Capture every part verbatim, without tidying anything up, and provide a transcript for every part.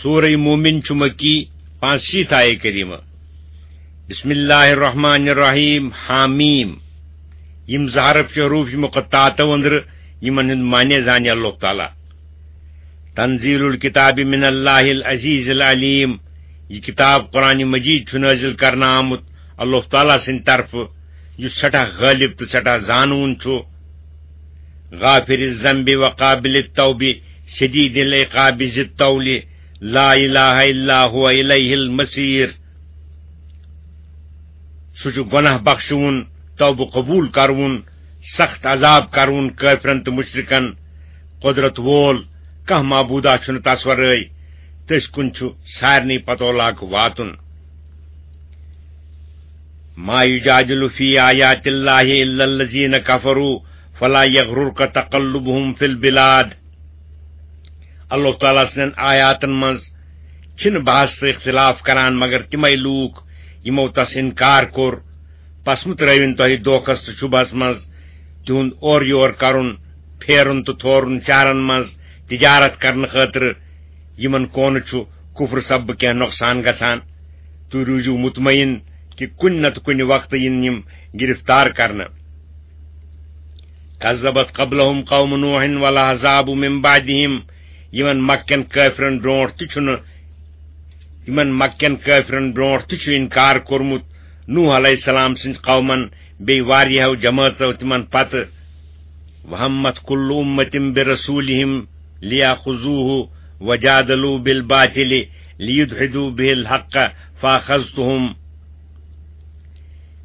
سورہ مومن چھُ مکی، پانٛژھ شیٖتھ آیے کریمہ۔ بسم اللہ الرحمن الرحیم، حامیم۔ یِم زٕ حرف چھِ حروف مقطعاتو أنٛدرٕ، یِمن ہُنٛد معنی زانہِ اللہ تعالیٰ۔ تنزیل الکتاب من اللہ العزیز العلیم۔ یہِ کتاب قرآن مجید چھُ نازل کرنہٕ آمُت اللہ تعالیٰ سٕنٛدِ طرفہٕ، یُس سٮ۪ٹھاہ غالب تہٕ سٮ۪ٹھاہ زانوُن چھُ۔ غافر الذنب وقابل التوب شدید العقاب ذی الطول، لا الہ الا هو الیہ المصیر۔ سُہ چھُ گۄناہ بخشوُن، توبہٕ قبول کرون، سخت عذاب کرون کٲفرن تہٕ مشرکن۔ قدرت وول کانٛہہ معبودا چھُنہٕ تس ورٲے، تٔسۍ کُن چھُ سارنٕے پتولاک واتُن۔ ما یجادل فی آیات اللہ الا الذین کفروا فلا یغررک تقلبهم فی البلاد۔ اللہ تعالیٰ سٕنٛدٮ۪ن آیاتن منٛز چھِنہٕ بحث تہٕ اختلاف کران مگر تِمے لوٗکھ یِمو تس انکار کوٚر۔ پس مہٕ ترٲوِن تۄہہِ دھوکس تہٕ شُبہس منٛز۔ تِہُنٛد اورٕ یور کرُن، پھیرُن تہٕ تھورُن شہرن منٛز تجارت کرنہٕ خٲطرٕ، یِمن کونہٕ چھُ کفر سببہٕ کینٛہہ نۄقصان گژھان۔ تُہۍ روٗزِو مطمئن کہِ کُنہِ نتہٕ کُنہِ وقتہٕ یِن یِم گرفتار کرنہٕ۔ کذبت قبلهم قوم نوح والاحزاب من بعدهم۔ یِمن مکہ کٮ۪ن کٲفرن برونٛٹھ تہِ چھُنہٕ، یِمن مکہ کٮ۪ن کٲفرن برونٛٹھ تہِ چھُ انکار کوٚرمُت نوح علیہ السلام سٕنٛدۍ قومن، بیٚیہِ واریاہو جمٲژو تِمن پتہٕ۔ وہمت کل امة برسولهم لیاخذوه وجادلوا بالباطل لیدحضوا به الحق فاخذتهم۔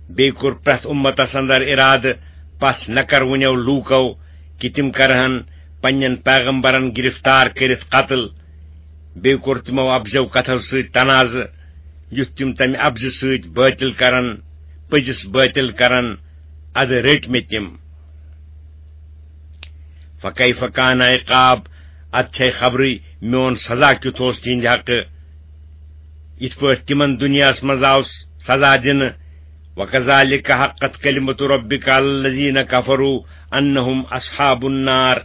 بیٚیہِ کوٚر پرٛٮ۪تھ اُمتس اندر ارادٕ پس نکروٕنیو لوٗکو کہِ تِم کرہن پننٮ۪ن پیغمبرن گرفتار کٔرِتھ قتل۔ بیٚیہِ کوٚر تِمو اپزیو کتھو سۭتۍ تنازٕ، یُتھ تِم تمہِ اپزِ سۭتۍ بٲطِل کرن، پٔزِس بٲطِل کرن، ادٕ رٔٹۍ مےٚ تِم۔ فکیف کان عقاب، اتھ چھے خبرٕے میون سزا کیُتھ اوس تِہنٛدِ حقہٕ۔ یِتھ پٲٹھۍ تِمن دُنیاہس منٛز آو سزا دِنہٕ، وکذالک حقت کلمۃ ربک علی الذین کفروا انہم اصحاب النار۔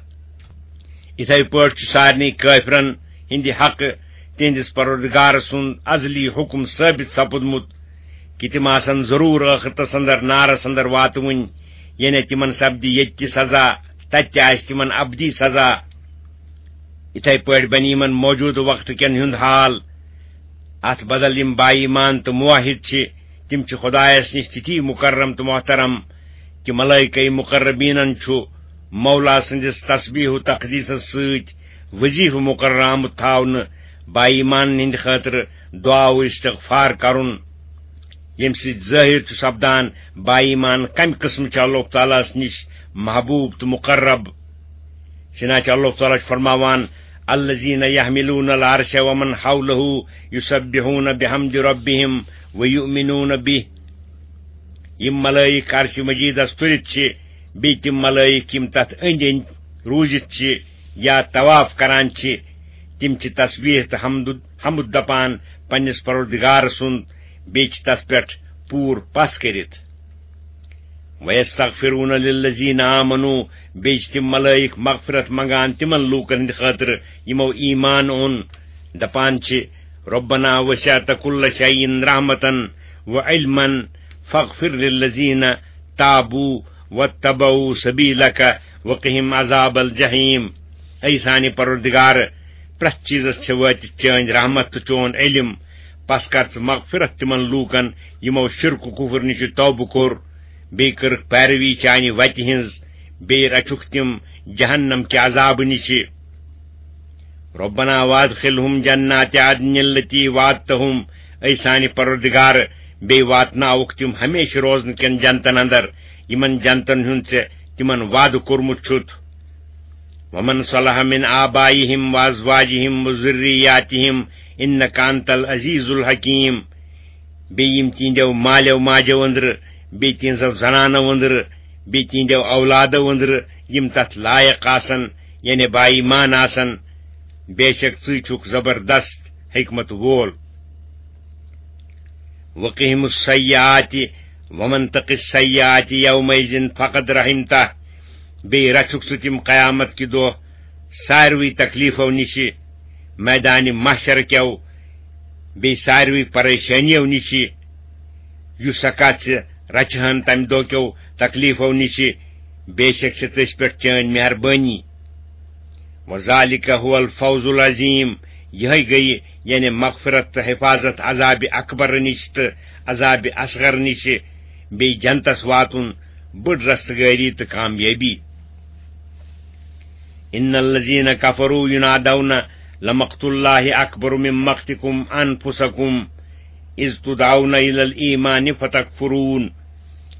یِتھے پٲٹھۍ چھُ سارنٕے کٲفرن ہٕنٛدِ حقہٕ تِہنٛدِس پروردگار سُنٛد ازلی حکم ثٲبت سپُدمُت کہِ تِم آسن ضروٗر ٲخرتس اندر نارس اندر واتوٕنۍ، یعنی تِمن سپدِ ییٚتہِ تہِ سزا، تتہِ تہِ آسہِ تِمن ابدی سزا۔ یِتھے پٲٹھۍ بنہِ یِمن موجودٕ وقتہٕ کٮ۪ن ہُنٛد حال۔ اتھ بدل یِم با ایمان تہٕ موحد چھِ، تِم چھِ خدایس نِش تِتھی مکرم تہٕ محترم کہِ ملائکہ مقربینن چھُ مولا سٕنٛدِس تسبیح و تقدیسس سۭتۍ وظیفہٕ مقرر آمُت تھاونہٕ۔ با ایمانن ہٕنٛدِ خٲطرٕ دعا و استغفار کرُن، ییٚمہِ سۭتۍ ظٲہر چھُ سپدان با ایمان کمہِ قٕسمہٕ چھِ اللہ تعالیٰ ہس نِش محبوب تہٕ مقرب۔ چنانچہ اللہ تعالیٰ چھُ فرماوان، الذین یحملون العرش ومن حوله یسبحون بحمد ربهم ویؤمنون به۔ یِم ملائک عرش مجیدس تُلِتھ چھِ، بیٚیہِ تِم ملائک یِم تتھ أنٛدۍ أنٛدۍ روٗزِتھ چھِ یا طواف کران چھِ، تِم چھِ تسبیح تہٕ حمد، حمد دپان پننِس پروردگار سُنٛد، بیٚیہِ چھِ تس پٮ۪ٹھ پوٗرٕ پژھ کٔرِتھ۔ وَيَسْتَغْفِرُونَ لِلَّذِينَ آمَنُوا، بیٚیہِ چھِ تِم ملائک مغفرت منگان تِمن لوٗکن ہٕنٛدِ خٲطرٕ یِمو ایمان اوٚن، دپان چھِ، رَبَّنَا وَسِعْتَ كُلَّ شَيْءٍ رَحْمَةً وَعِلْمًا فَاغْفِرْ لِلَّذِينَ تَابُوا وَاتَّبَعُوا سَبِيلَكَ وَقِهِمْ عَذَابَ الْجَحِيمِ۔ اے سانہِ پروردگار، پرٛٮ۪تھ چیٖزس چھِ وٲتِتھ چٲنۍ رحمت تہٕ چون علم، پس کر ژٕ مغفرت تِمن لوٗکن یِمو شرک و کفر نِش توبہٕ کوٚر، بیٚیہِ کٔرٕکھ پیروی چانہِ وتہِ ہٕنٛز، بیٚیہِ رچھُکھ تِم جہنم کہِ عذابہٕ نِش۔ رَبَّنَا وَأَدْخِلْهُمْ جَنَّاتِ عَدْنٍ الَّتِي وَعَدتَّهُمْ، اے سانہِ پروردگار، بیٚیہِ واتناوُکھ تِم ہمیشہٕ روزنہٕ کٮ۪ن جنتن اندر، یِمن جنتن ہُنٛد ژےٚ تِمن وعدٕ کوٚرمُت چھُتھ۔ وَمَنْ صَلَحَ مِنْ آبَائِهِمْ وَأَزْوَاجِهِمْ وَذُرِّيَّاتِهِمْ إِنَّكَ أَنْتَ الْعَزِيزُ الْحَكِيمُ۔ بیٚیہِ یِم تِہنٛدیو مالٮ۪و ماجٮ۪و أنٛدرٕ، بیٚیہِ تِہنٛزو زنانو أنٛدرٕ، بیٚیہِ تِہنٛدیو اولادو أنٛدرٕ، یِم تتھ لایق آسن، یعنی با ایمان آسن، بے شک ژٕے چھُکھ زبردست حکمت وول۔ وَقِهِمُ السَّيِّئَاتِ وَمَنْ تَقِ السَّيِّئَاتِ يَوْمَئِذٍ فَقَدْ رَحِمْتَهُ۔ بیٚیہِ رچھُکھ ژٕ تِم قیامت کہِ دۄہ ساروٕے تکلیفو نِشہِ۔ میدانِ محشر کیو بیٚیہِ ساروٕے پریشٲنیو نِشہِ، یُس سۄ کتھ چھِ رچھِ ہن تمہِ دۄہ کیو تکلیفو نِشہِ، بے شک چھِ تٔسۍ پٮ۪ٹھ چٲنۍ مہربٲنی۔ وذالک هو الفوز العظیم، یِہے گٔیہِ یعنی مغفرت تہٕ حفاظت عذابِ اکبر نِش تہٕ عذابِ اصغر نِشہِ، بیٚیہِ جنتس واتُن، بٔڑ رستگٲری تہٕ کامیٲبی۔ ان الذین کفروا ینادون لمقت اللہ اکبر من مقتکم انفسکم اذ تدعون الی الایمان فتکفرون۔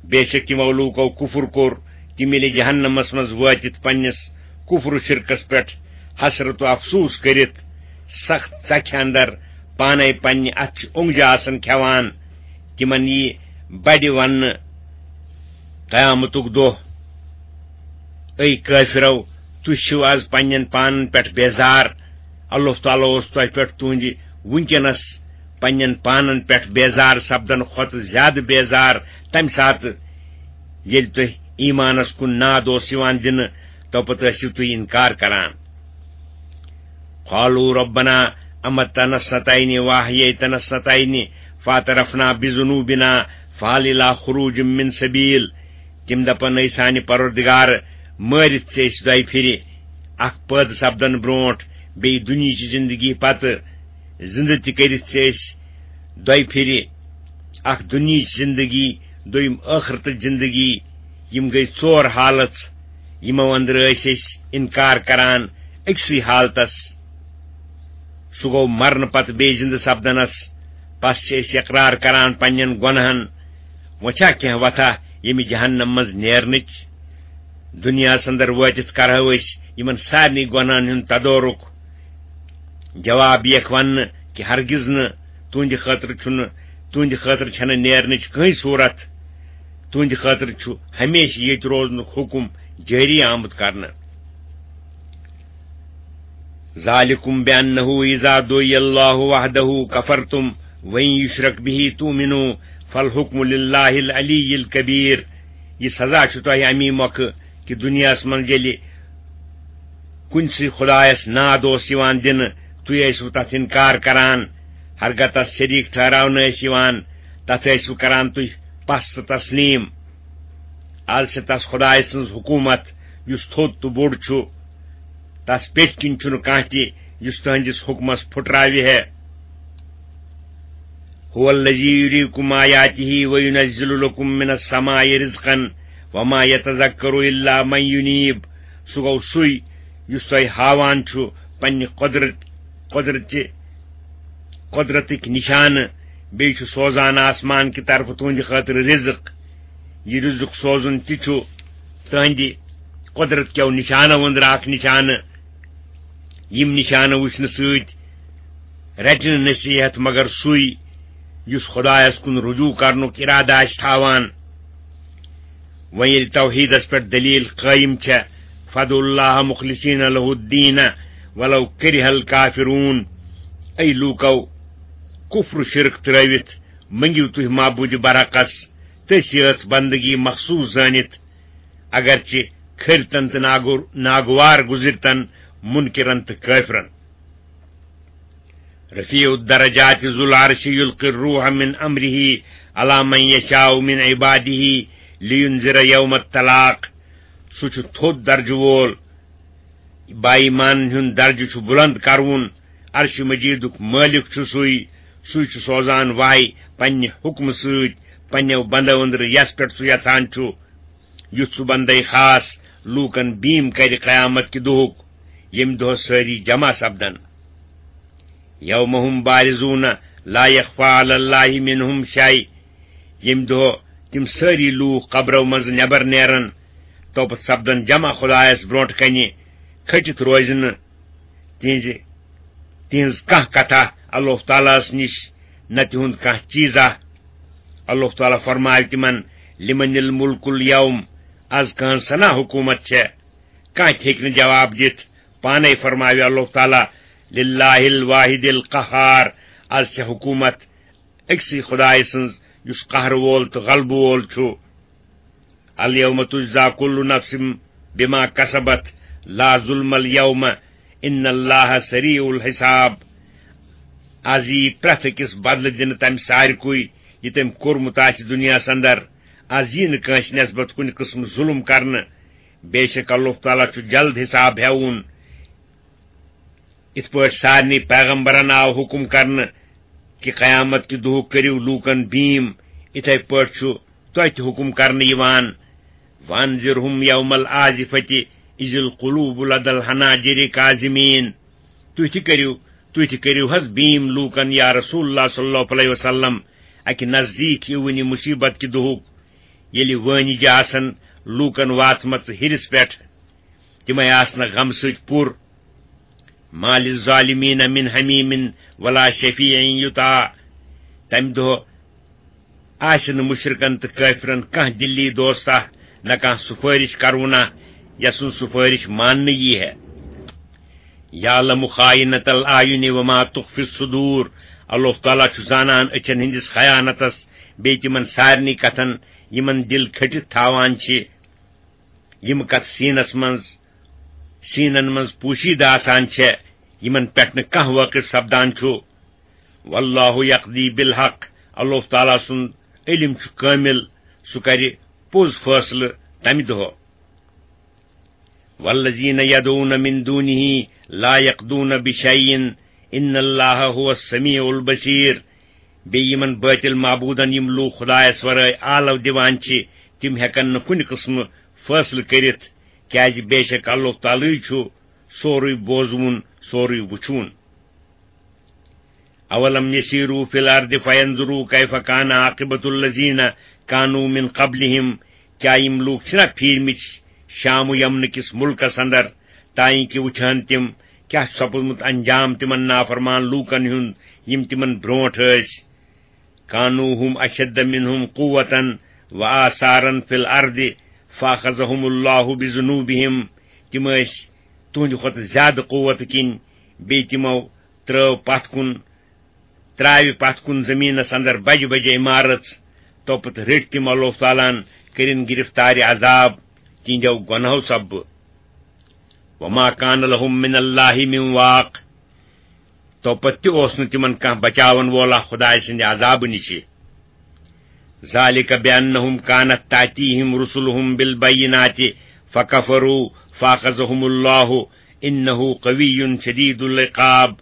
بے شک تِمو لوٗکو کفر کوٚر، تِم ییٚلہِ جہنمس منٛز وٲتِتھ پننِس کفر و شرکس پٮ۪ٹھ حسرت و افسوس کٔرِتھ سخت ژکھِ اندر پانے پننہِ اتھٕ چھِ اونگجہِ آسان کھٮ۪وان، تِمن یی بڑِ وننہٕ قیامتُک دۄہ، اے کٲفرو، تُہۍ چھِو از پننٮ۪ن پانن پٮ۪ٹھ بیزار۔ اللہ تعالیٰ اوس تۄہہِ پٮ۪ٹھ تُہنٛدِ وٕنکیٚنس پننٮ۪ن پانن پٮ۪ٹھ بیزار سپدن کھۄتہٕ زیادٕ بیزار تمہِ ساتہٕ، ییٚلہِ تُہۍ ایمانس کُن ناد اوس یِوان دِنہٕ، توپتہٕ ٲسِو تُہۍ انکار کران۔ قالوا ربنا امتنا اثنتين واحييتنا اثنتين فاعترفنا بذنوبنا فهل الى خروج من سبيل۔ تِم دپن، اے سانہِ پروردگار، مٲرِتھ ژےٚ أسۍ دۄیہِ پھِرِ، اکھ پٲدٕ سپدن برونٹھ، بیٚیہِ دُنیہچہِ زندگی پتہٕ زندٕ تہِ کٔرِتھ ژےٚ أسۍ دۄیہِ پھِرِ، اکھ دُنیہچ زندگی، دوٚیِم ٲخرتٕچ زندگی۔ یِم گٔے ژور حالژ، یِمو اندرٕ ٲسۍ أسۍ انکار کران أکسٕے حالتس۔ سُہ گوٚو مرنہٕ پتہٕ بیٚیہِ زِندٕ سپدنس۔ پس چھِ أسۍ اقرار کران پننٮ۪ن گۄنہن۔ وۄنۍ چھا کینٛہہ وتھا ییٚمہِ جہنم منٛز نیرنٕچ؟ دُنیاہس اندر وٲتِتھ کرہو أسۍ یِمن سارنٕے گۄنہن ہُنٛد تدورُک۔ جواب یِیَکھ وننہٕ کہِ ہرگز نہٕ، تُہنٛدِ خٲطرٕ چھُنہٕ، تُہنٛدِ خٲطرٕ چھَنہٕ نیرنٕچ کٕہٕنۍ صوٗرت۔ تُہنٛدِ خٲطرٕ چھُ ہمیشہِ ییٚتہِ روزنُک حُکم جٲری آمُت کرنہٕ۔ ذالکم بأنه اذا دعی اللہ وحدہ کفرتم وإن یشرک به تؤمنوا فالحکم للہ العلی الکبیر۔ یہِ سزا چھُ تۄہہِ امی مۄکھٕ کہِ دُنیاہس منٛز ییٚلہِ کُنسٕے خدایس ناد اوس یِوان دِنہٕ، تُہۍ ٲسِو تتھ انکار کران، ہرگاہ تس شریک ٹھہراونہٕ ٲسۍ یِوان، تتھ ٲسِو کران تُہۍ پس تہٕ تسلیم۔ از چھِ تس خدایہِ سٕنٛز حکومت، یُس تھوٚد تہٕ بوٚڑ چھُ۔ تس پیٚٹھۍ کِنۍ چھُنہٕ کانٛہہ تہِ یُس تُہنٛدِس حُکمس پھُٹراوِ ہے۔ هو الذی یریکم آیاتہ و ینزل لکم من السماء رزقا وما یتذکر الا من ینیب۔ سُہ گوٚو سُے یُس تۄہہِ ہاوان چھُ پننہِ قدرت، قدرتچہِ، قدرتٕکۍ نشانہٕ، بیٚیہِ چھُ سوزان آسمان کہِ طرفہٕ تُہنٛدِ خٲطرٕ رزق۔ یہِ رزق سوزُن تہِ چھُ تُہنٛدِ قدرت کیو نشانو أنٛدرٕ اکھ نشانہٕ۔ یِم نشانہٕ وٕچھنہٕ سۭتۍ رٹہِ نہٕ نصیحت مگر سُے یُس خدایس کُن رجوع کرنُک ارادٕ آسہِ تھاوان۔ وۄنۍ ییٚلہِ توحیدس پٮ۪ٹھ دلیل قٲیِم چھےٚ، فادعوا اللہ مخلصین لہ الدین ولو کرہ الکافرون۔ اے لوٗکو، کفر و شرک ترٲوِتھ مٔنگِو تُہۍ معبوٗدِ برحقس تٔسۍ یٲژ بندگی مخصوص زٲنِتھ، اگرچہِ کھرتن تہٕ ناگو-، ناگوار گزرتن، منکرن تہٕ کٲفرن۔ رفیع الدرجات ذو العرش یلقی الروح من امرہ علی من یشاء من عبادہ لینذر یوم التلاق۔ سُہ چھُ تھوٚد درجہٕ وول، با ایمانن ہُنٛد درجہٕ چھُ بلند کرُن۔ عرش مجیدُک مٲلِک چھُ سُے، سُے چھُ سوزان وحی پننہِ حُکمہٕ سۭتۍ پننیو بندو أنٛدرٕ یس پٮ۪ٹھ سُہ یژھان چھُ، یُتھ سُہ بندے خاص لوٗکن بیٖم کرِ قیامت کہِ دۄہُک، ییٚمہِ دۄہ سٲری جمع سپدن۔ یوم هم بارزون لا یخفی علی اللہ منهم شیء۔ ییٚمہِ دۄہ تِم سٲری لوٗکھ قبرو منٛزٕ نٮ۪بر نیرن، توپتہٕ سپدن جمع خدایس برونٛٹھ کنہِ، کھٔٹِتھ روزِ نہٕ تِہنٛزِ، تِہنٛز کانٛہہ کتھا اللہ تعالیٰ ہس نِش، نہ تِہُنٛد کانٛہہ چیٖزا۔ اللہ تعالیٰ فرماوِ تِمن، لمن الملک الیوم، از کہنٛز سنا حکومت چھےٚ؟ کانٛہہ تہِ ہیٚکہِ نہٕ جواب دِتھ۔ پانے فرماوِ اللہ تعالیٰ، للہ الواحد القہار، از چھےٚ حکومت أکسٕے خدایہِ سٕنٛز یُس قہر وول تہٕ غلبہٕ وول چھُ۔ الیوم تجزی کل نفس بما کسبت لا ظلم الیوم۔ ان اللہ سریع الحساب۔ از یی پرٛٮ۪تھ أکِس بدلہٕ دِنہٕ تمہِ سارِکُے یہِ تٔمۍ کوٚرمُت آسہِ دُنیاہس اندر۔ از یی نہٕ کٲنٛسہِ نسبت کُنہِ قٕسمہٕ ظُلم کرنہٕ۔ بے شک اللہ تعالیٰ چھُ جلد حساب ہٮ۪وُن۔ یِتھ پٲٹھۍ سارنٕے پیغمبرن آو حُکم کرنہٕ کہِ قیامت کہِ دۄہُک کٔرِو لوٗکن بیٖم، یِتھے پٲٹھۍ چھُ تۄہہِ تہِ حُکم کرنہٕ یِوان، وَأَنذِرْهُمْ يَوْمَ الْآزِفَةِ إِذِ الْقُلُوبُ لَدَى الْحَنَاجِرِ كَاظِمِينَ۔ تُہۍ تہِ کٔرِو، تُہۍ تہِ کٔرِو حظ بیٖم لوٗکن یا رسول اللہ صلی اللہ علیہ وسلم، اکہِ نزدیٖک یِوٕنہِ مُصیٖبت کہِ دۄہُک، ییٚلہِ وٲنِجہِ آسن لوٗکن واتمژٕ ہِرِس پٮ۪ٹھ، تِمے آسنہٕ غمہٕ سۭتۍ پُر۔ مَا لِلظَّالِمِينَ مِنْ حَمِيمٍ وَلَا شَفِيعٍ يُطَاعُ۔ تمہِ دۄہ آسہِ نہٕ مُشرِکن تہٕ کٲفرن کانٛہہ دِلی دوستہ، نہ کانٛہہ سُفٲرِش کروُنہ، یسُنٛد سُفٲرِش ماننہٕ یی ہے۔ يَعْلَمُ خَائِنَةَ الْأَعْيُنِ وَمَا تُخْفِي الصُّدُورُ۔ اللہ تعالیٰ چھُ زانان أچھن ہٕنٛدِس خیانتس، بیٚیہِ تِمن سارنٕے کتھن، یِمن دِل کھٔٹِتھ تھاوان چھِ۔ یِم کتھٕ سیٖنس منٛز، سیٖنن منٛز پوشیدٕ آسان چھےٚ، یِمن پٮ۪ٹھ نہٕ کانٛہہ وٲقف سپدان چھُ۔ وَاللَّهُ يَقْضِي بِالْحَقِّ۔ اللہ تعالیٰ سُنٛد علم چھُ کٲمِل، سُہ کرِ پوٚز فٲصلہٕ تمہِ دۄہ۔ وَالَّذِينَ يَدْعُونَ مِن دُونِهِ لَا يَقْضُونَ بِشَيْءٍ إِنَّ اللَّهَ هُوَ السَّمِيعُ الْبَصِيرُ۔ بیٚیہِ یِمن بٲطِل معبوٗدن یِم لوٗکھ خۄدایس ورٲے آلو دِوان چھِ، تِم ہٮ۪کن نہٕ کُنہِ قٕسمہٕ فٲصلہٕ کٔرِتھ، کیازِ بے شک اللہ تعالیٰ چھُ سورُے بوزوُن، سورُے وُچھوُن۔ أَوَلَمْ يَسِيرُوا فِي الْأَرْضِ فَيَنْظُرُوا كَيْفَ كَانَ عَاقِبَةُ الَّذِينَ كَانُوا مِنْ قَبْلِهِمْ۔ کیا یِم لوٗکھ چھِنا پھیٖرمٕتۍ شام و یمنہٕ کِس مُلکس اندر، تانۍ کہِ وٕچھان تِم کیا چھُ سپُدمُت انجام تِمن نافرمان لوٗکن ہُنٛد، یِم تِمن برونٛٹھ ٲسۍ؟ كَانُوا هُمْ أَشَدَّ مِنْهُمْ قُوَّةً وَآثَارًا فِي الْأَرْضِ فَأَخَذَهُمُ اللَّهُ بِذُنُوبِهِمْ۔ تِم ٲسۍ تُہنٛدِ کھۄتہٕ زیادٕ قوت کِنۍ، بیٚیہِ تِمو ترٲو پتھ کُن، ترٛاوِ پتھ کُن زٔمیٖنس اندر بجہِ بجہِ عمارژ، توپتہٕ رٔٹۍ تِم اللہ تعالیٰ ہن، کٔرِن گرفتارِ عذاب تِہنٛدیو گۄنہو سببہٕ۔ وَمَا كَانَ لَهُمْ مِنَ اللَّهِ مِنْ وَاقٍ۔ توپتہٕ تہِ اوس نہٕ تِمن کانٛہہ بچاون وولا خدایہِ سٕنٛدِ عذابہٕ نِشہِ۔ ذَلِكَ بِأَنَّهُمْ كَانَتْ تَأْتِيهِمْ رُسُلُهُمْ بِالْبَيِّنَاتِ فَكَفَرُوا فَأَخَذَهُمُ اللَّهُ إِنَّهُ قَوِيٌّ شَدِيدُ الْعِقَابِ۔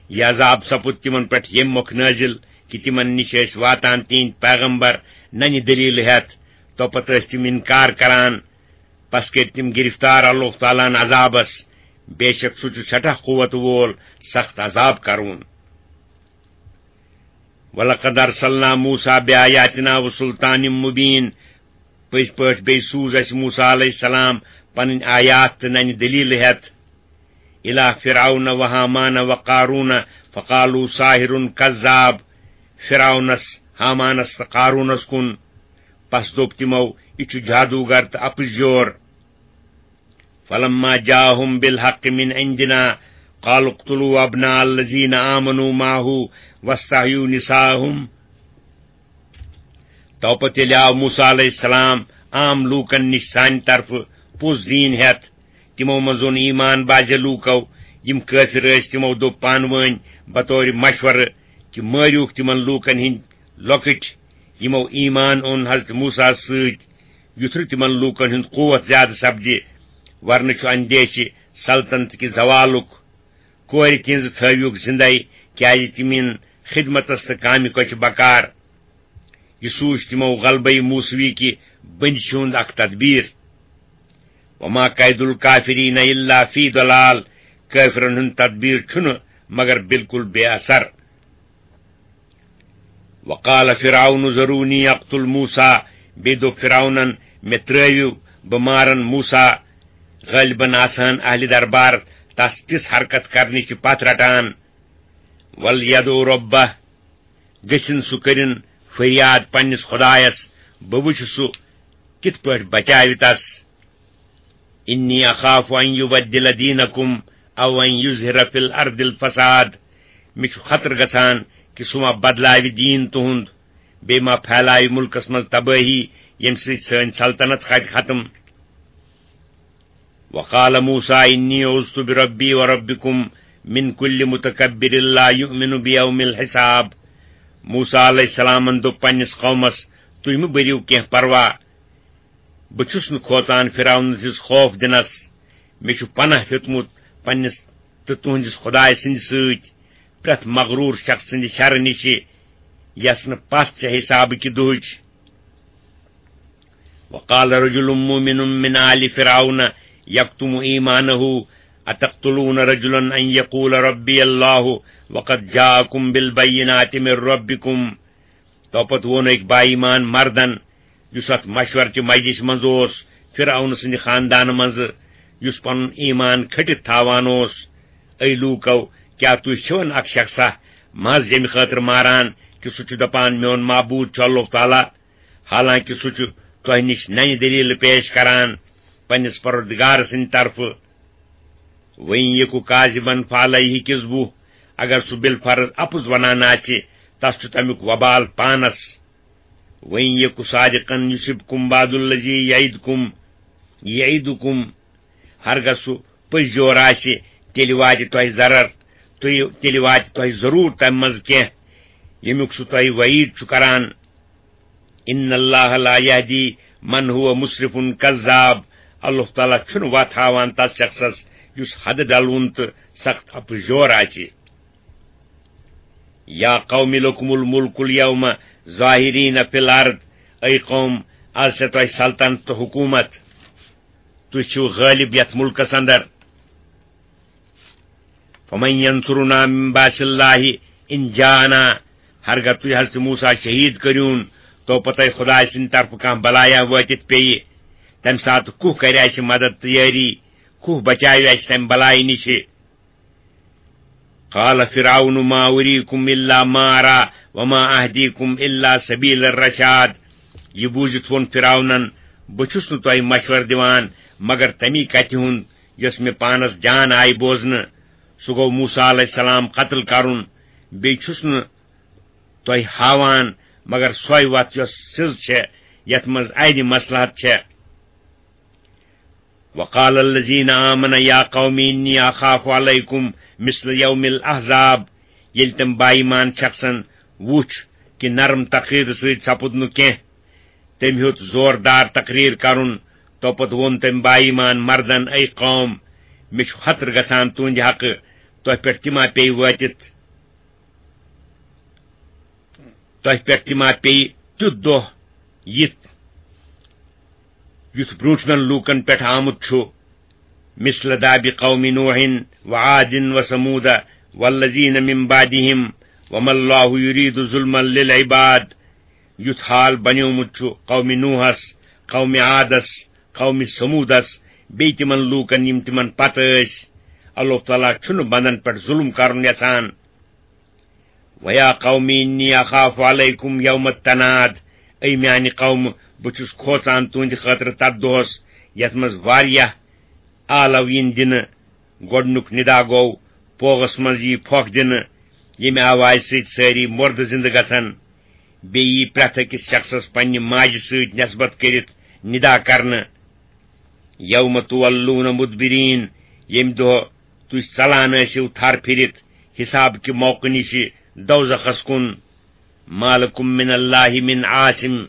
یہِ عذاب سپُد تِمن پٮ۪ٹھ ییٚمہِ مۄکھٕ نٲزِل کہِ تِمن نِش ٲسۍ واتان تِہنٛدۍ پیغمبر ننہِ دٔلیٖلہٕ ہٮ۪تھ، توپتہٕ ٲسۍ تِم اِنکار کران۔ پس کٔرۍ تِم گرفتار اللہ تعالیٰ ہن عذابس، بے شک سُہ چھُ سٮ۪ٹھاہ قوت وول، سخت عذاب کرون۔ وَلَقَدْ أَرْسَلْنَا مُوسَىٰ بِآيَاتِنَا وَسُلْطَانٍ مُّبِينٍ۔ پٔزۍ پٲٹھۍ بیٚیہِ سوٗز اَسہِ موسیٰ علیہ السلام پنٕنۍ آیات تہٕ ننہِ دٔلیٖلہٕ ہٮ۪تھ۔ إِلَىٰ فِرْعَوْنَ وَهَامَانَ وَقَارُونَ فَقَالُوا سَاحِرٌ كَذَّابٌ۔ فرعونس، ہامانس تہٕ قارونس کُن۔ پس دوٚپ تِمو، "یہِ چھُ جادوگر تہٕ اپُزیور۔" فَلَمَّا جَاءَهُم بِالْحَقِّ مِنْ عِنْدِنَا قَالُوا اقْتُلُوا أَبْنَاءَ الَّذِينَ آمَنُوا مَعَهُ وَاسْتَحْيُوا نِسَاءَهُمْ۔ توپتہٕ ییٚلہِ آو موسیٰ علیہ السلام عام لوٗکن نِش سانہِ طرفہٕ پوٚز دیٖن ہٮ۪تھ، تِمو منٛز اوٚن ایمان بعضے لوٗکو، یِم کٲفِر ٲسۍ، تِمو دوٚپ پانہٕ وٲنۍ بطورِ مشورٕ کہِ مٲرِوکھ تِمن لوٗکن ہٕنٛدۍ لۄکٕٹۍ، یِمو ایمان اوٚن حضرت موسیٰ ہس سۭتۍ، یُتھ نہٕ تِمن لوٗکن ہُنٛد قوت زیادٕ سپدِ، ورنہٕ چھُ اندیشہِ سلطنت کہِ زوالُک۔ کورِ تِہنٛزٕ تھٲوِوکھ زِندَے، کیازِ تِم یِن خدمتس تہٕ کامہِ کۄچھِ بکار۔ یہِ سوٗنچ تِمو غلبے موسوی کہِ بٔنٛدۍ چھِ ہُنٛد اکھ تدبیر۔ وما کید الکافرین الا فی ضلال، کٲفرن ہُنٛد تدبیر چھُنہٕ مگر بالکل بے اثر۔ وقال فرعون ذرونی اقتل موسیٰ، بیٚیہِ دوٚپ فرعونن، "مےٚ ترٲوِو، بہٕ مارن موسیٰ"۔ غٲلبن آسہٕ ہن اہلِ دربار تس تِژھ حرکت کرنٕچ پتھ رٹان۔ ولیدع ربہ، گٔژھِن سُہ کٔرِن فریاد پننِس خدایس، بہٕ وٕچھٕ سُہ کِتھ پٲٹھۍ بچاوِ تس۔ انی اخاف ان یبدل دینکم او ان یظہر فی الارض الفساد، مےٚ چھُ خطرٕ گژھان کہِ سُہ ما بدلاوِ دیٖن تُہُنٛد، بیٚیہِ ما پھیلاوِ مُلکس منٛز تبٲہی، ییٚمہِ سۭتۍ سٲنۍ سلطنت کھسہِ ختم۔ وقال موسیٰ انی عذت بربی وربکم من کل متکبر لا یؤمن بیوم الحساب۔ موسیٰ علیہ السلامن دوٚپ پننِس قومس، "تُہۍ مہٕ بٔرِو کینٛہہ پروا، بہٕ چھُس نہٕ کھوژان فرعون سٕنٛدِس خوف دِنس۔ مےٚ چھُ پناہ ہیوٚتمُت پننِس تہٕ تُہنٛدِس خدایہِ سٕنٛدِ سۭتۍ، پرٛٮ۪تھ مغروٗر شخص سٕنٛدِ شرٕ نِشہِ، یس نہٕ پژھ چھےٚ حسابہٕ کہِ دۄہٕچ۔" وقال رجل مؤمن من آل فرعون یکتم ایمانہ اتقتلون رجلا ان یقول ربی اللہ وقد جاءکم بالبینات من ربکم۔ تو پتہٕ ووٚن أکۍ با ایمان مردن، یُس اتھ مشورٕچہِ مجلسہِ منٛز اوس، فرعون سٕنٛدِ خاندانہٕ منٛزٕ، یُس پنُن ایمان کھٔٹِتھ تھاوان اوس، "اے لوٗکو، کیٛاہ تُہۍ چھِوَن اکھ شخصا محض ییٚمہِ خٲطرٕ ماران کہِ سُہ چھُ دپان، 'میون معبوٗد چھُ اللہ تعالیٰ'، حالانکہ سُہ چھُ تۄہہِ نِش ننہِ دٔلیٖلہٕ پیش کران پننِس پروردگار سٕنٛدِ طرفہٕ؟ وَإِن یَکُ کَاذِبًا فَعَلَیْہِ کِذْبُہُ، اگر سُہ بالفرض اپُز ونان آسہِ، تس چھُ تمیُک وبال پانس۔ وَإِن یَکُ صَادِقًا یُصِبْکُم بَعْضُ الَّذِی یَعِدُکُم، یَعِدُکُم، ہرگاہ سُہ پٔزۍ یور آسہِ، تیٚلہِ واتہِ تۄہہِ ضرر، تُہۍ، تیٚلہِ واتہِ تۄہہِ ضروٗر تمہِ منٛز کینٛہہ، ییٚمیُک سُہ تۄہہِ وعید چھُ کران۔ ان اللہ لا یہدی من ہو مسرف کذاب، اللہ تعالیٰ چھُنہٕ وتھ ہاوان تس شخصس یُس حدٕ ڈلوُن تہٕ سخت اپُز یور آسہِ۔ یا قوم لکم الملک الیوم ظاہرین فی الارض، اے قوم، از چھےٚ تۄہہِ سلطنت تہٕ حکومت، تُہۍ چھِو غٲلب یتھ ملکس اندر۔ فمن ینصرنا من باس اللہ ان جاءنا، ہرگاہ تُہۍ حضرت موسیٰ شہید کٔرِوُن، تو پتہٕ خدایہِ سٕنٛدِ طرفہٕ کانٛہہ بلایا وٲتِتھ پیٚیہِ، تمہِ ساتہٕ کُہ کرِ اسہِ مدد تہٕ یٲری؟ کُہ بچاوِ اسہِ تمہِ بلایہِ نِشہِ؟ قال فرعون ما اریکم الا ما ارا وما اہدیکم الا سبیل الرشاد۔ یہِ بوٗزِتھ ووٚن فرعونن، "بہٕ چھُس نہٕ تۄہہِ مشورٕ دِوان مگر تمی کتھِ ہُنٛد یۄس مےٚ پانس جان آیہِ بوزنہٕ۔" سُہ گوٚو موسیٰ علیہ السلام قتل کرُن۔ بیٚیہِ چھُس نہٕ تۄہہِ ہاوان مگر سۄے وتھ یۄس سٕز چھےٚ، یتھ منٛز اَنہِ مصلحت چھےٚ۔ وقال الذین آمنوا یا قوم انی اخاف علیکم مثل یوم الاحزاب۔ ییٚلہِ تٔمۍ با ایمان شخصن وُچھ کہِ نرم تقریر سۭتۍ سپُد نہٕ کینٛہہ، تٔمۍ ہیوٚت زوردار تقریر کرُن۔ توپتہٕ ووٚن تٔمۍ با ایمان مردن، "اے قوم، مےٚ چھُ خطرٕ گژھان تُہنٛدِ حقہٕ، تۄہہِ پٮ۪ٹھ تہِ ما پیٚیہِ وٲتِتھ، تۄہہِ پٮ۪ٹھ تہِ ما پیٚیہِ تیُتھ دۄہ یِتھ، یُتھ برٛونٛٹھمٮ۪ن لوٗکن پٮ۪ٹھ آمُت چھُ، مثل داب قوم نوح وعاد وثمود والذین من بعدہم وما اللہ یرید ظلما للعباد۔" یُتھ حال بنیومُت چھُ قوم نوحس، قوم عادس، قوم ثمودس، بیٚیہِ تِمن لوٗکن یِم تِمن پتہٕ ٲسۍ۔ اللہ تعالیٰ چھُنہٕ بندن پٮ۪ٹھ ظلم کرُن یژھان۔ وَيَا قَوْمِ إِنِّي أَخَافُ عَلَيْكُمْ يَوْمَ التَّنَادِ، اے میانہِ قومہٕ، بہٕ چھُس کھوژان تُہنٛدِ خٲطرٕ تتھ دۄہس یتھ منٛز واریاہ آلو یِن دِنہٕ۔ گۄڈنیُک ندا گوٚو پوغس منٛز یی پھۄکھ دِنہٕ، ییٚمہِ آوازِ سۭتۍ سٲری مردٕ زِندٕ گژھن۔ بیٚیہِ یی پرٛٮ۪تھ أکِس شخصس پننہِ ماجہِ سۭتۍ نسبت کٔرِتھ ندا کرنہٕ۔ یوم تولون مدبرین، ییٚمہِ دۄہ تُہۍ ژلان ٲسِو تھر پھِرِتھ حساب کہِ موقعہٕ نِشہِ دوزخس کُن۔ ما لکم من اللہ من عاصم،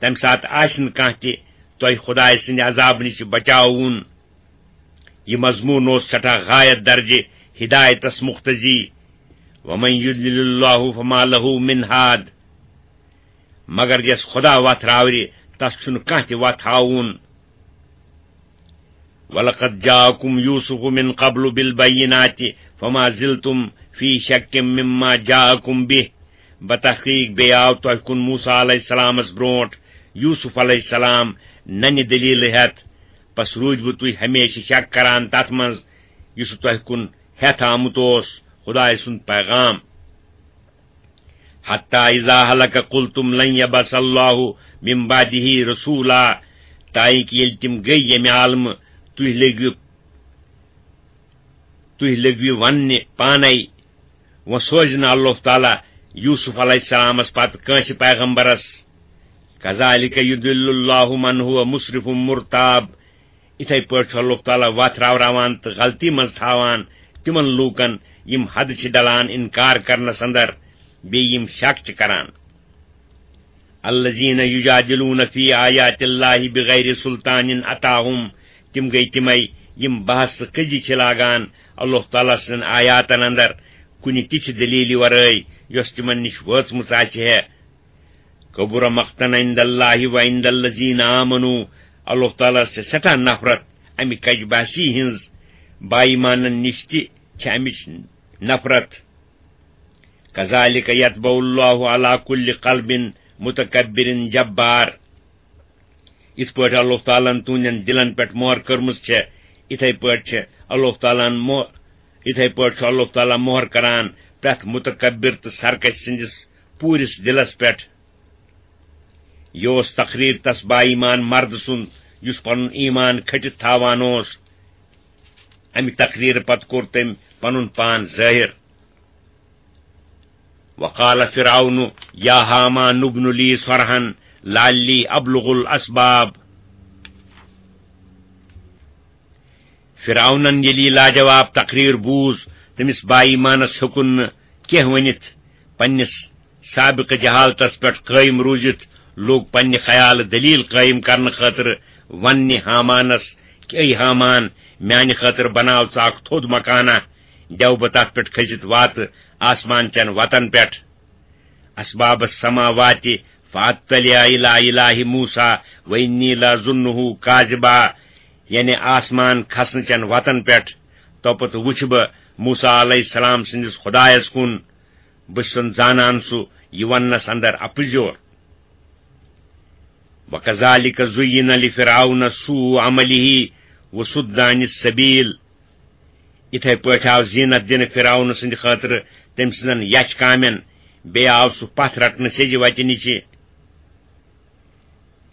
تمہِ ساتہٕ آسہِ نہٕ کانٛہہ تہِ تۄہہِ خدایہِ سٕنٛدِ عذابہٕ نِشہِ بچاوُن۔ یہِ مضموٗن اوس سٮ۪ٹھاہ غایت درجہِ ہدایتس مقتضی۔ ومن یضلل اللہ فما لہ من ہاد، مگر یس خدا وتھ راورِ، تس چھُنہٕ کانٛہہ تہِ وتھ ہاوُن۔ وَلَقَدْ جَاءَكُمْ يُوسُفُ مِنْ قَبْلُ بِالْبَيِّنَاتِ فَمَا زِلْتُمْ فِي شَكٍّ مِّمَّا جَاءَكُمْ بِهِ، بتحقیق بیٚیہِ آو تۄہہِ کُن موسیٰ علیہ السلامس برونٹھ یوسف علیہ السلام ننہِ دلیلہٕ ہٮ۪تھ، پس روٗدۍ وٕ تُہۍ ہمیشہِ شک کران تتھ منٛز یُس تۄہہِ کُن ہٮ۪تھ آمُت اوس خدایہِ سُنٛد پیغام۔ حتیٰ اذا ہلک قلتم لن یبعث اللہ من بعدہ رسولا، تائیں کہ ییٚلہِ تِم گٔے ییٚمہِ عالمہٕ، تُہۍ لٔگِو، تُہۍ لٔگِو وننہِ پانے، وۄنۍ سوزِ نہٕ اللہ تعالیٰ یوسف علیہ السلامس پتہٕ کٲنٛسہِ پیغمبرس۔ کذالک یضل اللہ من ہو مسرف مرتاب، یِتھے پٲٹھۍ چھُ اللہ تعالیٰ وَتھ راوراوان تہٕ غلطی منٛز تھاوان تِمن لوٗکن، یِم حد چھِ ڈلان اِنکار کرنس اندر، بیٚیہِ یِم شک چھِ کران۔ الذین یجادلون فی آیات اللہ بغیر سلطان اتاہم، تِم گٔے تِمے، یِم بحث تہٕ کٔزی چھِ لاگان اللہ تعالیٰ سٕنٛدٮ۪ن آیاتن اندر کُنہِ تِژھِ دلیلہِ ورٲے، یۄس تِمن نِش وٲژمٕژ آسہِ ہے۔ کبر مقتا عند اللہ و عند الذین آمنوا، اللہ تعالیٰ ہس چھِ سٮ۪ٹھاہ نفرت امہِ کج بحثی ہٕنٛز، با ایمانن نِش تہِ چھِ امِچ نفرت۔ کذالک یطبع اللہ علی کل قلب متکبر جبار۔ یِتھ پٲٹھۍ اللہ تعالیٰ ہن تُہنٛدٮ۪ن دِلن پٮ۪ٹھ مۄہر کٔرمٕژ چھےٚ، یِتھے پٲٹھۍ چھِ اللہ تعالیٰ ہن مۄ-، یِتھے پٲٹھۍ چھُ اللہ تعالیٰ مۄہر کران پرٛٮ۪تھ متکبر تہٕ سرکش سٕنٛدِس پوٗرِس دِلس پٮ۪ٹھ۔ یہِ اوس تقریر تس با ایمان مرد سُنٛد، یُس پنُن ایمان کھٔٹِتھ تھاوان اوس۔ امہِ تقریرٕ پتہٕ کوٚر تٔمۍ پنُن پان ظٲہِر۔ وقال فرعون یا ہامان ابن لی صرحا لعلی ابلغ الاسباب۔ فرعونن ییٚلہِ یہِ لاجواب تقریر بوٗز، تٔمِس با ایمانس ہیوٚکُن نہٕ کینٛہہ ؤنِتھ۔ پننِس سابقہٕ جہالتس پٮ۪ٹھ قٲیِم روٗزِتھ لوٚگ پننہِ خیالہٕ دلیل قٲیِم کرنہٕ خٲطرٕ وننہِ ہامانس، کہ اے ہامان، میانہِ خٲطرٕ بناو ژٕ اکھ تھوٚد مکانہ، دِیو بہٕ تتھ پٮ۪ٹھ کھٔسِتھ واتہٕ آسمان چٮ۪ن وتن پٮ۪ٹھ۔ اسباب السماوات فاطلع الی الہ موسیٰ و انی لظنہ کاذبا، یعنی آسمان کھسنہٕ چٮ۪ن وتن پٮ۪ٹھ، توپتہٕ وُچھِ بہٕ موسیٰ علیہ السلام سٕنٛدِس خدایس کُن، بہٕ چھُسن زانان سُہ یہِ وننس اندر اپُزیور۔ وکذالک زین لفرعون سوء عملہ وصد عن السبیل۔ یِتھے پٲٹھۍ آو زینت دِنہٕ فرعون سٕنٛدِ خٲطرٕ تٔمۍ سٕنٛزن یچھ کامٮ۪ن، بیٚیہِ آو سُہ پتھ رٹنہٕ سیٚزِ وتہِ نِشہِ۔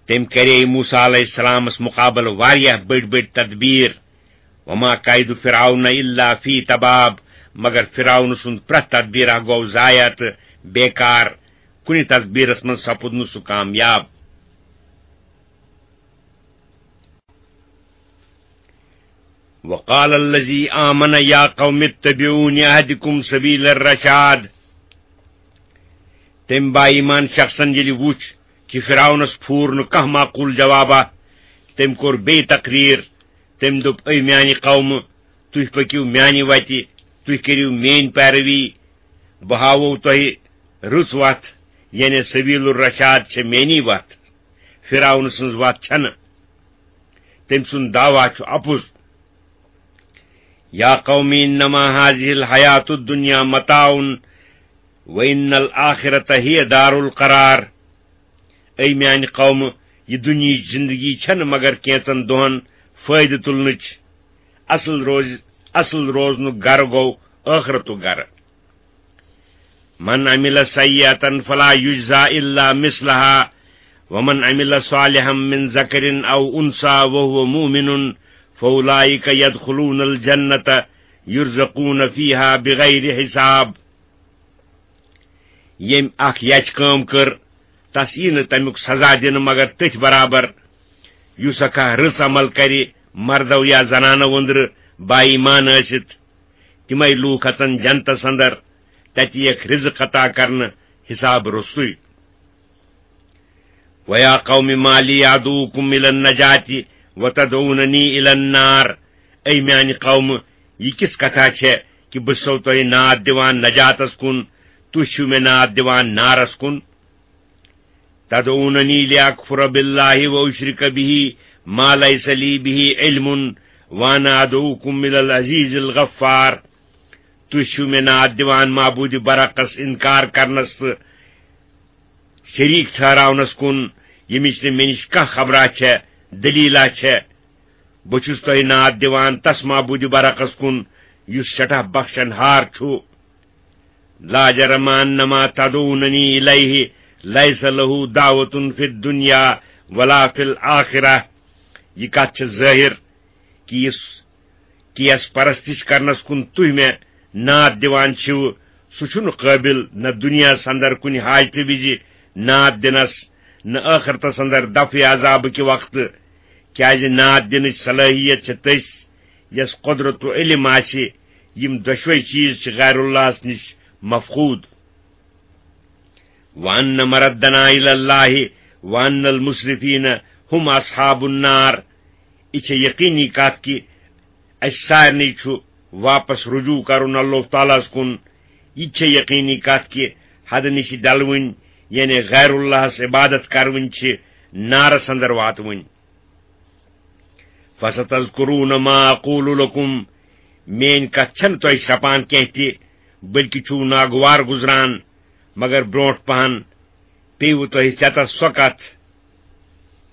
تٔمۍ کرے موسیٰ علیہ السلامس مقابلہٕ واریاہ بٔڑۍ بٔڑۍ تدبیر۔ وما کید فرعون الا فی تباب، مگر فرعون سُنٛد پرٛٮ۪تھ تدبیرہ گوٚو ضایع تہٕ بیکار، کُنہِ تدبیرس منٛز سپُد نہٕ سُہ کامیاب۔ وقال الذی آمن یا قوم اتبعون اہدکم سبیل الرشاد۔ تٔمۍ با ایمان شخصن ییٚلہِ وُچھ کہِ فرعونس پھوٗر نہٕ کانٛہہ معقول جوابہ، تٔمۍ کوٚر بیٚیہِ تقریر۔ تٔمۍ دوٚپ، اے میانہِ قومہٕ، تُہۍ پٔکِو میانہِ وتہِ، تُہۍ کٔرِو میٲنۍ پیروی، بہٕ ہاوو تۄہہِ رٕژ وتھ، یعنی سبیل الرشاد چھےٚ میٲنی وتھ، فرعون سٕنٛز وتھ چھنہٕ۔ تٔمۍ سُنٛد دعویٰ چھُ اپُز۔ یا قوم انما هذه الحیات الدنیا متاع وان الآخرۃ هی دار القرار۔ اے میانہِ قومہٕ، یہِ دُنیہٕچ زندگی چھنہٕ مگر کینژن دۄہن فٲیدٕ تُلنٕچ۔ اصل روز، اصل روزنُک گرٕ گوٚو ٲخرتُک گرٕ۔ من عمل سیئة فلا یجزی الا مثلها ومن عمل صالحا من ذکر او انثی وهو مؤمن فاولئک یدخلون الجنة یرزقون فیها بغیر حساب۔ ییٚمۍ اکھ یچھ کٲم کٔر، تس یی نہٕ تمیُک سزا دِنہٕ مگر تٔتھۍ برابر، یُس اکھ رٕژ عمل کرِ، مردو یا زنانو أنٛدرٕ با ایمان ٲسِتھ۔ تِمے لوٗکھ اژن جنتس اندر، تتہِ یِیَکھ رزق عطا کرنہٕ حساب روٚستُے۔ ویا قوم ما لی ادعوکم الی النجاة وتدعوننی الی النار۔ اے میانہِ قومہٕ، یہِ کِژھ کتھا چھےٚ کہِ بہٕ چھُسو تۄہہِ ناد دِوان نجاتس کُن، تُہۍ چھِو مےٚ ناد دِوان نارس کُن؟ تدعوننی لاکفر باللہ واشرک بہ ما لیس لی بہ علم وانا ادعوکم الی العزیز الغفار۔ تُہۍ چھِو مےٚ ناد دِوان معبود برحقس انکار کرنس تہٕ شریک ٹھہراونس کُن، ییٚمِچ نہٕ مےٚ نِش کانٛہہ خبرا چھےٚ، دلیلہ چھےٚ۔ بہٕ چھُس تۄہہِ ناد دِوان تس معبود برحقس کُن، یُس سٮ۪ٹھاہ بخشن ہار چھُ۔ لا جرم ان ما تدعوننی الیہ لیس لہ دعوۃ فی الدنیا ولا فی الآخرہ۔ یہِ کتھ چھِ ظٲہر کہِ یُس، کہِ یس پرستش کرنس کُن تُہۍ مےٚ ناد دِوان چھِو، سُہ چھُنہٕ قٲبل نہ دُنیاہس اندر کُنہِ حاجتہٕ وِزِ ناد دِنس، نہ ٲخرتس اندر دفعِ عذابہٕ کہِ وقتہٕ۔ کیازِ نعت دِنٕچ صلٲحیت چھِ تٔسۍ، یس قدرت و علم آسہِ۔ یِم دۄشوے چیز چھِ غیر اللہس نِش مفقود۔ وَأَنَّ مَرَدَّنَا إِلَى اللَّهِ وَأَنَّ الْمُسْرِفِينَ هُمْ أَصْحَابُ النَّارِ۔ یہِ چھےٚ یقینی کتھ کہِ اسہِ سارنٕے چھُ واپس رجوع کرُن اللہ تعالیٰ ہس کُن۔ یہِ چھےٚ یقینی کتھ کہِ حدٕ نِش ڈلوٕنۍ، یعنی غیر اللہس عبادت کرٕنۍ، چھِ نارس اندر واتوٕنۍ۔ فَسَتَذْكُرُونَ مَا أَقُولُ لَكُمْ۔ میٲنۍ کتھ چھنہٕ تۄہہِ شرپان کینٛہہ تہِ، بلکہِ چھُو ناگوار گُزران، مگر برونٛٹھ پہن پیٚیِوٕ تۄہہِ ژٮ۪تس سۄ کتھ،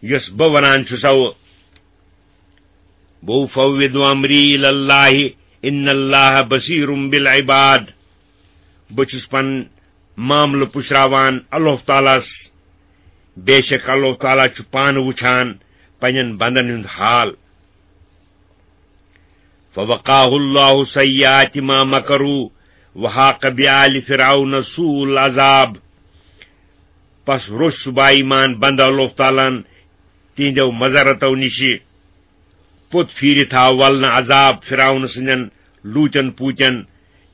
یۄس بہٕ ونان چھُسو۔ وَأُفَوِّضُ أَمْرِي إِلَى اللَّهِ إِنَّ اللَّهَ بَصِيرٌ بِالْعِبَادِ۔ بہٕ چھُس پنُن معاملہٕ پُشراوان اللہ تعالیٰ ہس۔ بے شک اللہ تعالیٰ چھُ پانہٕ وٕچھان پننٮ۪ن بندن ہُنٛد حال۔ فَوَقَاهُ اللَّهُ سَيِّئَاتِ مَا مَكَرُوا وَحَاقَ بِآلِ فِرْعَوْنَ سُوءُ الْعَذَابِ۔ پس روٚچھ سُہ با ایمان بندٕ اللہ تعالیٰ ہن تِہنٛدیو مذرتو نِشہِ۔ پوٚت پھیٖرِتھ آو ولنہٕ عذاب فرعون سٕنٛدٮ۪ن لوٗتٮ۪ن پوٗتٮ۪ن،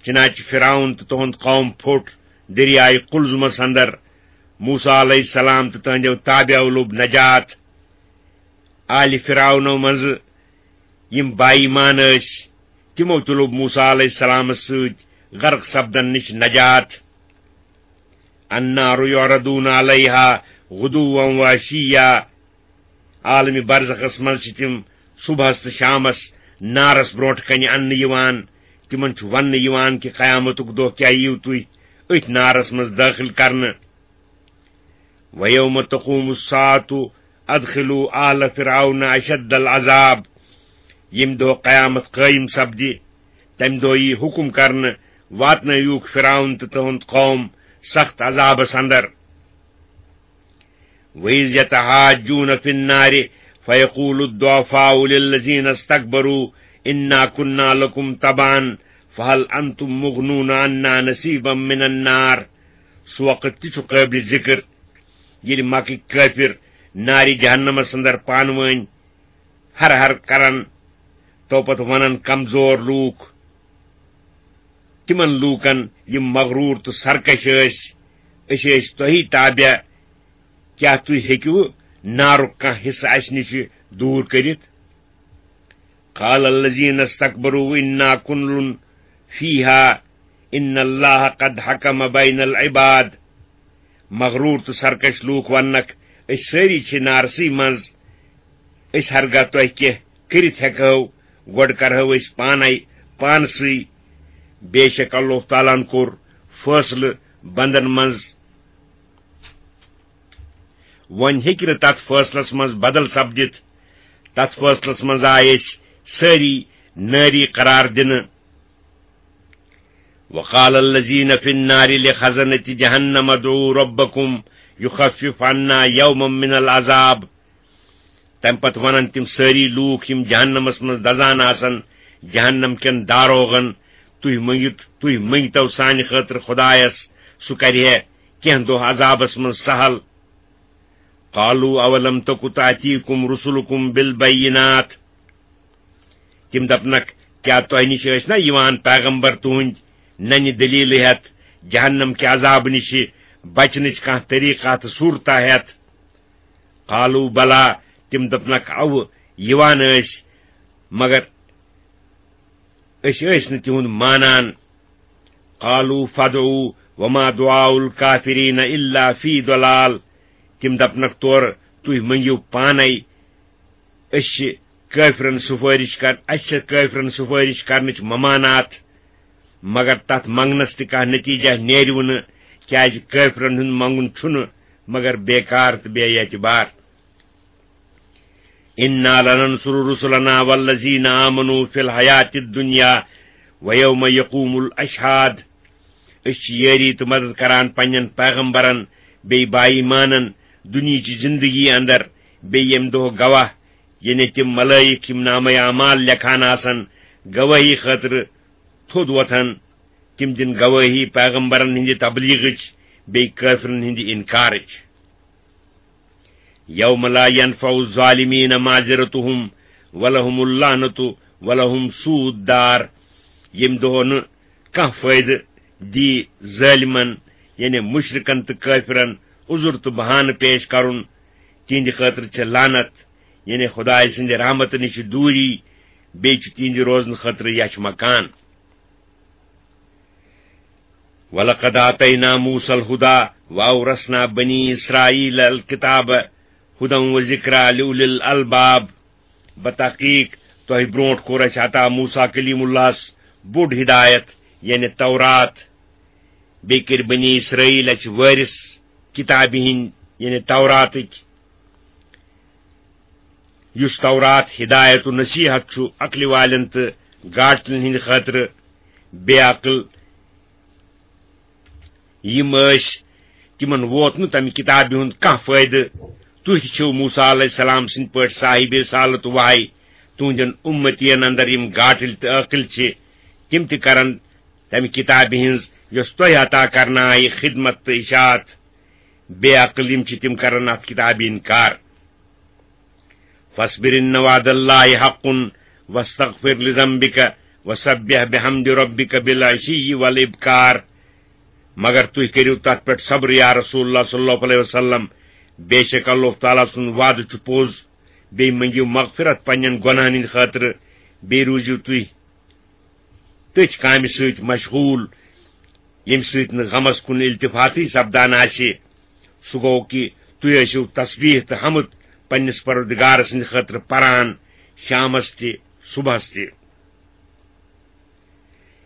چنانچہ فرعون تہٕ تُہُنٛد قوم پھوٚٹ دٔریاے قلزمس اندر۔ موسیٰ علیہ السلام تہٕ تٕہنٛدیو تابعو لوٚب نجات۔ آلِ فرعونو منٛزٕ یِم با ایمان ٲسۍ، تِمو تہِ لوٚب موسیٰ علیہ السلامس سۭتۍ غرق سپدن نِش نجات۔ النار يعرضون عليها غدوا وعشيا۔ عالمِ برزخس منٛز چھِ تِم صبحس تہٕ شامس نارس برونٛٹھ کنہِ اننہٕ یِوان۔ تِمن چھُ وننہٕ یِوان کہِ قیامتُک دۄہ کیٛاہ یِیِو تُہۍ أتھۍ نارس منٛز دٲخل کرنہٕ۔ وَيَوْمَ تَقُومُ السَّاعَةُ أَدْخِلُوا آلَ فِرْعَوْنَ أَشَدَّ الْعَذَابِ۔ ییٚمہِ دۄہ قیامت قٲیِم سپدِ، تمہِ دۄہ یی حُکم کرنہٕ، واتنٲوِوکھ فرعون تہٕ تُہُنٛد قوم سخت عذابس اندر۔ وَإِذْ يَتَحَاجُّونَ فِي النَّارِ فَيَقُولُ الضُّعَفَاءُ لِلَّذِينَ اسْتَكْبَرُوا إِنَّا كُنَّا لَكُمْ تَبَعًا فَهَلْ أَنْتُمْ مُغْنُونَ عَنَّا نَصِيبًا مِنَ النَّارِ۔ سُہ وقت تہِ چھُ قٲبلِ ذِکر، ییٚلہِ مکٕکۍ کٲفِر نارِ جہنمس اندر پانہٕ وٲنۍ ہر ہر کرن، تو پتہٕ ونن کمزور لوٗکھ تِمن لوٗکن، یِم مغروٗر تہٕ سرکش ٲسۍ، "أسۍ ٲسۍ تۄہی تابع، کیٛاہ تُہۍ ہیٚکِوٕ نارُک کانٛہہ حصہٕ اسہِ نِش دوٗر کٔرِتھ؟" قال الذين استكبروا إنا كل فيها إن الله قد حكم بين العباد۔ مغروٗر تہٕ سرکش لوٗکھ وننکھ، "أسۍ سٲری چھِ نارسٕے منٛز، أسۍ ہرگاہ تۄہہِ کینٛہہ کٔرِتھ ہٮ۪کہو، گۄڈٕ کرہو أسۍ پانے پانسٕے۔ بے شک اللہ تعالیٰ ہن کوٚر فٲصلہٕ بندن منٛز۔" وۄنۍ ہیٚکہِ نہٕ تتھ فٲصلس منٛز بدل سپدِتھ۔ تتھ فٲصلس منٛز آے أسۍ سٲری نٲری قرار دِنہٕ۔ وقال الذين في النار لخزنة جهنم ادعوا ربكم يخفف عنا يوما من العذاب۔ تمہِ پتہٕ ونن تِم سٲری لوٗکھ، یِم جہنمس منٛز دزان آسن، جہنم کٮ۪ن داروغن، "تُہۍ مٔنگِو، تُہۍ مٔنگتو سانہِ خٲطرٕ خدایس، سُہ کرِ ہے کینٛہہ دۄہ عذابس منٛز سہل۔" قالوا اولم تک تاتیکم رسلکم بالبینات۔ تِم دپنکھ، "کیٛاہ تۄہہِ نِش ٲسۍ نا یِوان پیغمبر تُہنٛدۍ ننہِ دلیلہٕ ہٮ۪تھ، جہنم کہِ عذابہٕ نِش بچنٕچ کانٛہہ طریقہ تہٕ صورتہ ہٮ۪تھ؟" قالوا بلى۔ تِم دپنکھ، "اوٕ، یِوان ٲسۍ، مگر أسۍ ٲسۍ نہٕ تِہُنٛد مانان۔" قالوا فادعوا وما دعاء الكافرين إلا في ضلال۔ تِم دپنکھ تورٕ، "تُہۍ مٔنگِو پانے، أسۍ چھِ کٲفرن سفٲرِش کر-، اَسہِ چھِ کٲفرن سفٲرِش کرنٕچ ممانعت، مگر تتھ منگنس تہِ کانٛہہ نتیجہ نیرِوٕ نہٕ، کیازِ کٲفرن ہُنٛد منگُن چھُنہٕ مگر بیکار تہٕ بے اعتبار۔" إنا لننصر رسلنا والذين آمنوا في الحياة الدنيا ويوم يقوم الأشهاد۔ أسۍ چھِ یٲری تہٕ مدد کران پننٮ۪ن پیغمبرن، بیٚیہِ با ایمانن، دُنیہٕچہِ زندگی اندر، بیٚیہِ ییٚمہِ دۄہ گواہ، یعنی تِم ملائک، یِم نامہ اعمال لیکھان آسن، گواہی خٲطرٕ تھوٚد وۄتھن۔ تِم دِن گواہی پیغمبرن ہٕنٛدِ تبلیغٕچ، بیٚیہِ کٲفرن ہٕنٛدِ انکارٕچ۔ یوم لا ینفع الظالمین معذرتہم ولہم اللعنۃ ولہم سوء الدار۔ ییٚمہِ دۄہ نہٕ کانٛہہ فٲیدٕ دی ظٲلمن، یعنی مشرکن تہٕ کٲفرن، عذر تہٕ بہانہٕ پیش کرُن۔ تِہنٛدِ خٲطرٕ چھِ لعنت، یعنی خدایہِ سٕنٛدِ رحمتہٕ نِش دوٗری، بیٚیہِ چھُ تِہنٛدِ روزنہٕ خٲطرٕ یَچھ مکان۔ وَلَقَدْ آتَيْنَا مُوسَى الْهُدَى وَأَوْرَثْنَا بَنِي إِسْرَائِيلَ الْكِتَابَ هُدًى وَذِكْرَى لِأُولِي الْأَلْبَابِ۔ بتحقیق تۄہہِ برونٛٹھ کوٚر اَسہِ عطا موسیٰ کلیم اللہَس بوٚڑ ہدایت، یعنی تورات۔ بیٚیہِ کٔرۍ بنی اسرائیل اَسہِ وٲرِث کتابہِ ہٕنٛدۍ، یعنی توراتٕکۍ۔ یُس تورات ہدایت و نصیحت چھُ عقلہِ والٮ۪ن تہٕ گاٹلٮ۪ن ہٕنٛدِ خٲطرٕ، بے عقل یِم ٲسۍ، تِمن ووت نہٕ تمہِ کتابہِ ہُنٛد کانٛہہ فٲیدٕ۔ تُہۍ تہِ چھِو موسیٰ علیہ السلام سٕنٛدۍ پٲٹھۍ صاحب رسالت و وحی۔ تُہنٛدٮ۪ن اُمتین اندر یِم گاٹٕلۍ تہٕ عٲقل چھِ، تِم تہِ کرن تمہِ کتابہِ ہٕنٛز، یۄس تۄہہِ عطا کرنہٕ آیہِ، خدمت تہٕ اشاعت۔ بے عقل یِم چھِ، تِم کرن اتھ کتابہِ انکار۔ فاصبر ان وعد اللہ حق واستغفر لذنبک وسبح بحمد ربک بالعشی والابکار۔ مگر تُہۍ کٔرِو تتھ پٮ۪ٹھ صبر، یا رسول اللہ صلی اللہ علیہ وسلم۔ بے شک اللہ تعالیٰ سُنٛد وعدٕ چھُ پوٚز۔ بیٚیہِ مٔنگِو مغفرت پننٮ۪ن گۄناہن ہٕنٛدِ خٲطرٕ۔ بیٚیہِ روٗزِو تُہۍ تٔتھۍ کامہِ سۭتۍ مشغول، ییٚمہِ سۭتۍ نہٕ غمس کُن التفاتٕے سپدان آسہِ۔ سُہ گوٚو کہِ تُہۍ ٲسِو تسبیح تہٕ حمد پننِس پروردگار سٕنٛدِ خٲطرٕ پران، شامس تہِ، صبحس تہِ۔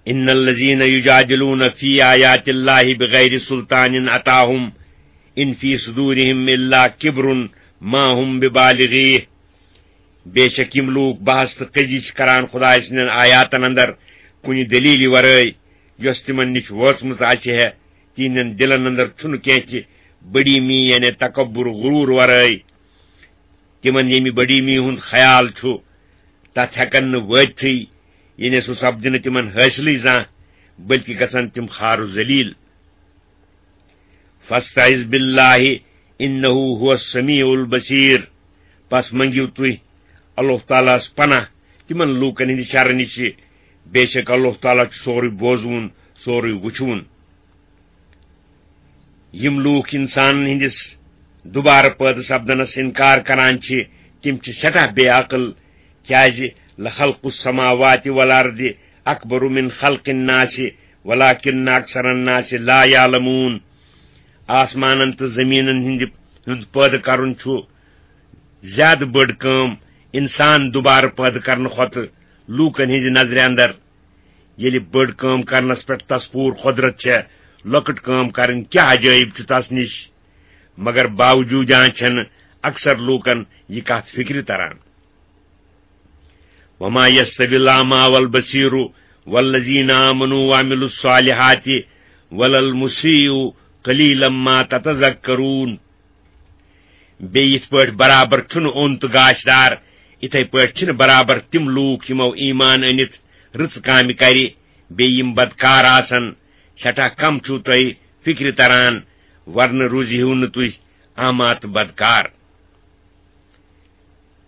ان الذین یجادلون فی آیات اللہ بغیر سلطان اتاہم ان فی صدورہم الا کبر ما ہم ببالغیہ۔ بے شک یِم لوٗکھ بحث تہٕ قضی چھِ کران خدایہِ سٕنٛدٮ۪ن آیاتن اندر کُنہِ دلیلہِ ورٲے، یۄس تِمن نِش وٲژمٕژ آسہِ ہے، تِہنٛدٮ۪ن دِلن اندر چھُنہٕ کینٛہہ تہِ بڑیمی، یعنی تکبر، غرور ورٲے۔ تِمن ییٚمہِ بڑیمی ہُنٛد خیال چھُ، تتھ ہٮ۪کن نہٕ وٲتتھٕے، یعنی سُہ سپدِ نہٕ تِمن حٲصلٕے زانٛہہ، بلکہِ گژھن تِم خار و ذلیل۔ فاستعذ باللہ انہ هو السمیع البصیر۔ پس منگیو تُہۍ اللہ تعالیٰ ہس پناہ تِمن لوٗکن ہٕنٛدِ شرٕ نِش۔ بے شک اللہ تعالیٰ چھُ سورُے بوزوُن، سورُے وُچھوُن۔ یِم لوٗکھ انسانن ہٕنٛدِس دوبارٕ پٲدٕ سپدنس انکار کران چھِ، تِم چھِ سٮ۪ٹھاہ بے عقل، کیازِ لخلق السماوات والارض اکبر من خلق الناس ولکن اکثر الناس لا یعلمون۔ آسمانن تہٕ زمینن ہٕنٛدِ، ہُنٛد پٲدٕ کرُن چھُ زیادٕ بٔڑ کٲم انسان دوبارٕ پٲدٕ کرنہٕ کھۄتہٕ لوٗکن ہٕنٛزِ نظرِ اندر۔ ییٚلہِ بٔڑ کٲم کرنس پٮ۪ٹھ تس پوٗرٕ قۄدرت چھےٚ، لۄکٕٹ کٲم کرٕنۍ کیٛاہ عجٲیب چھُ تس نِش؟ مگر باوجوٗد چھَنہٕ اکثر لوٗکن یہِ کتھ فکرِ تران۔ وما یستوی الاعمی والبصیر والذین آمنوا وعملوا الصالحات ولا المسیء قلیلا ما تتذکرون۔ بیٚیہِ یِتھ پٲٹھۍ برابر چھُنہٕ اوٚن تہٕ گاشدار، یِتھے پٲٹھۍ چھِنہٕ برابر تِم لوٗکھ یِمو ایمان أنِتھ رٕژ کامہِ کرِ، بیٚیہِ یِم بدکار آسن۔ سٮ۪ٹھاہ کم چھِو تۄہہِ فِکرِ تران، ورنہٕ روٗزِہِو نہٕ تُہۍ اعمیٰ تہٕ بدکار۔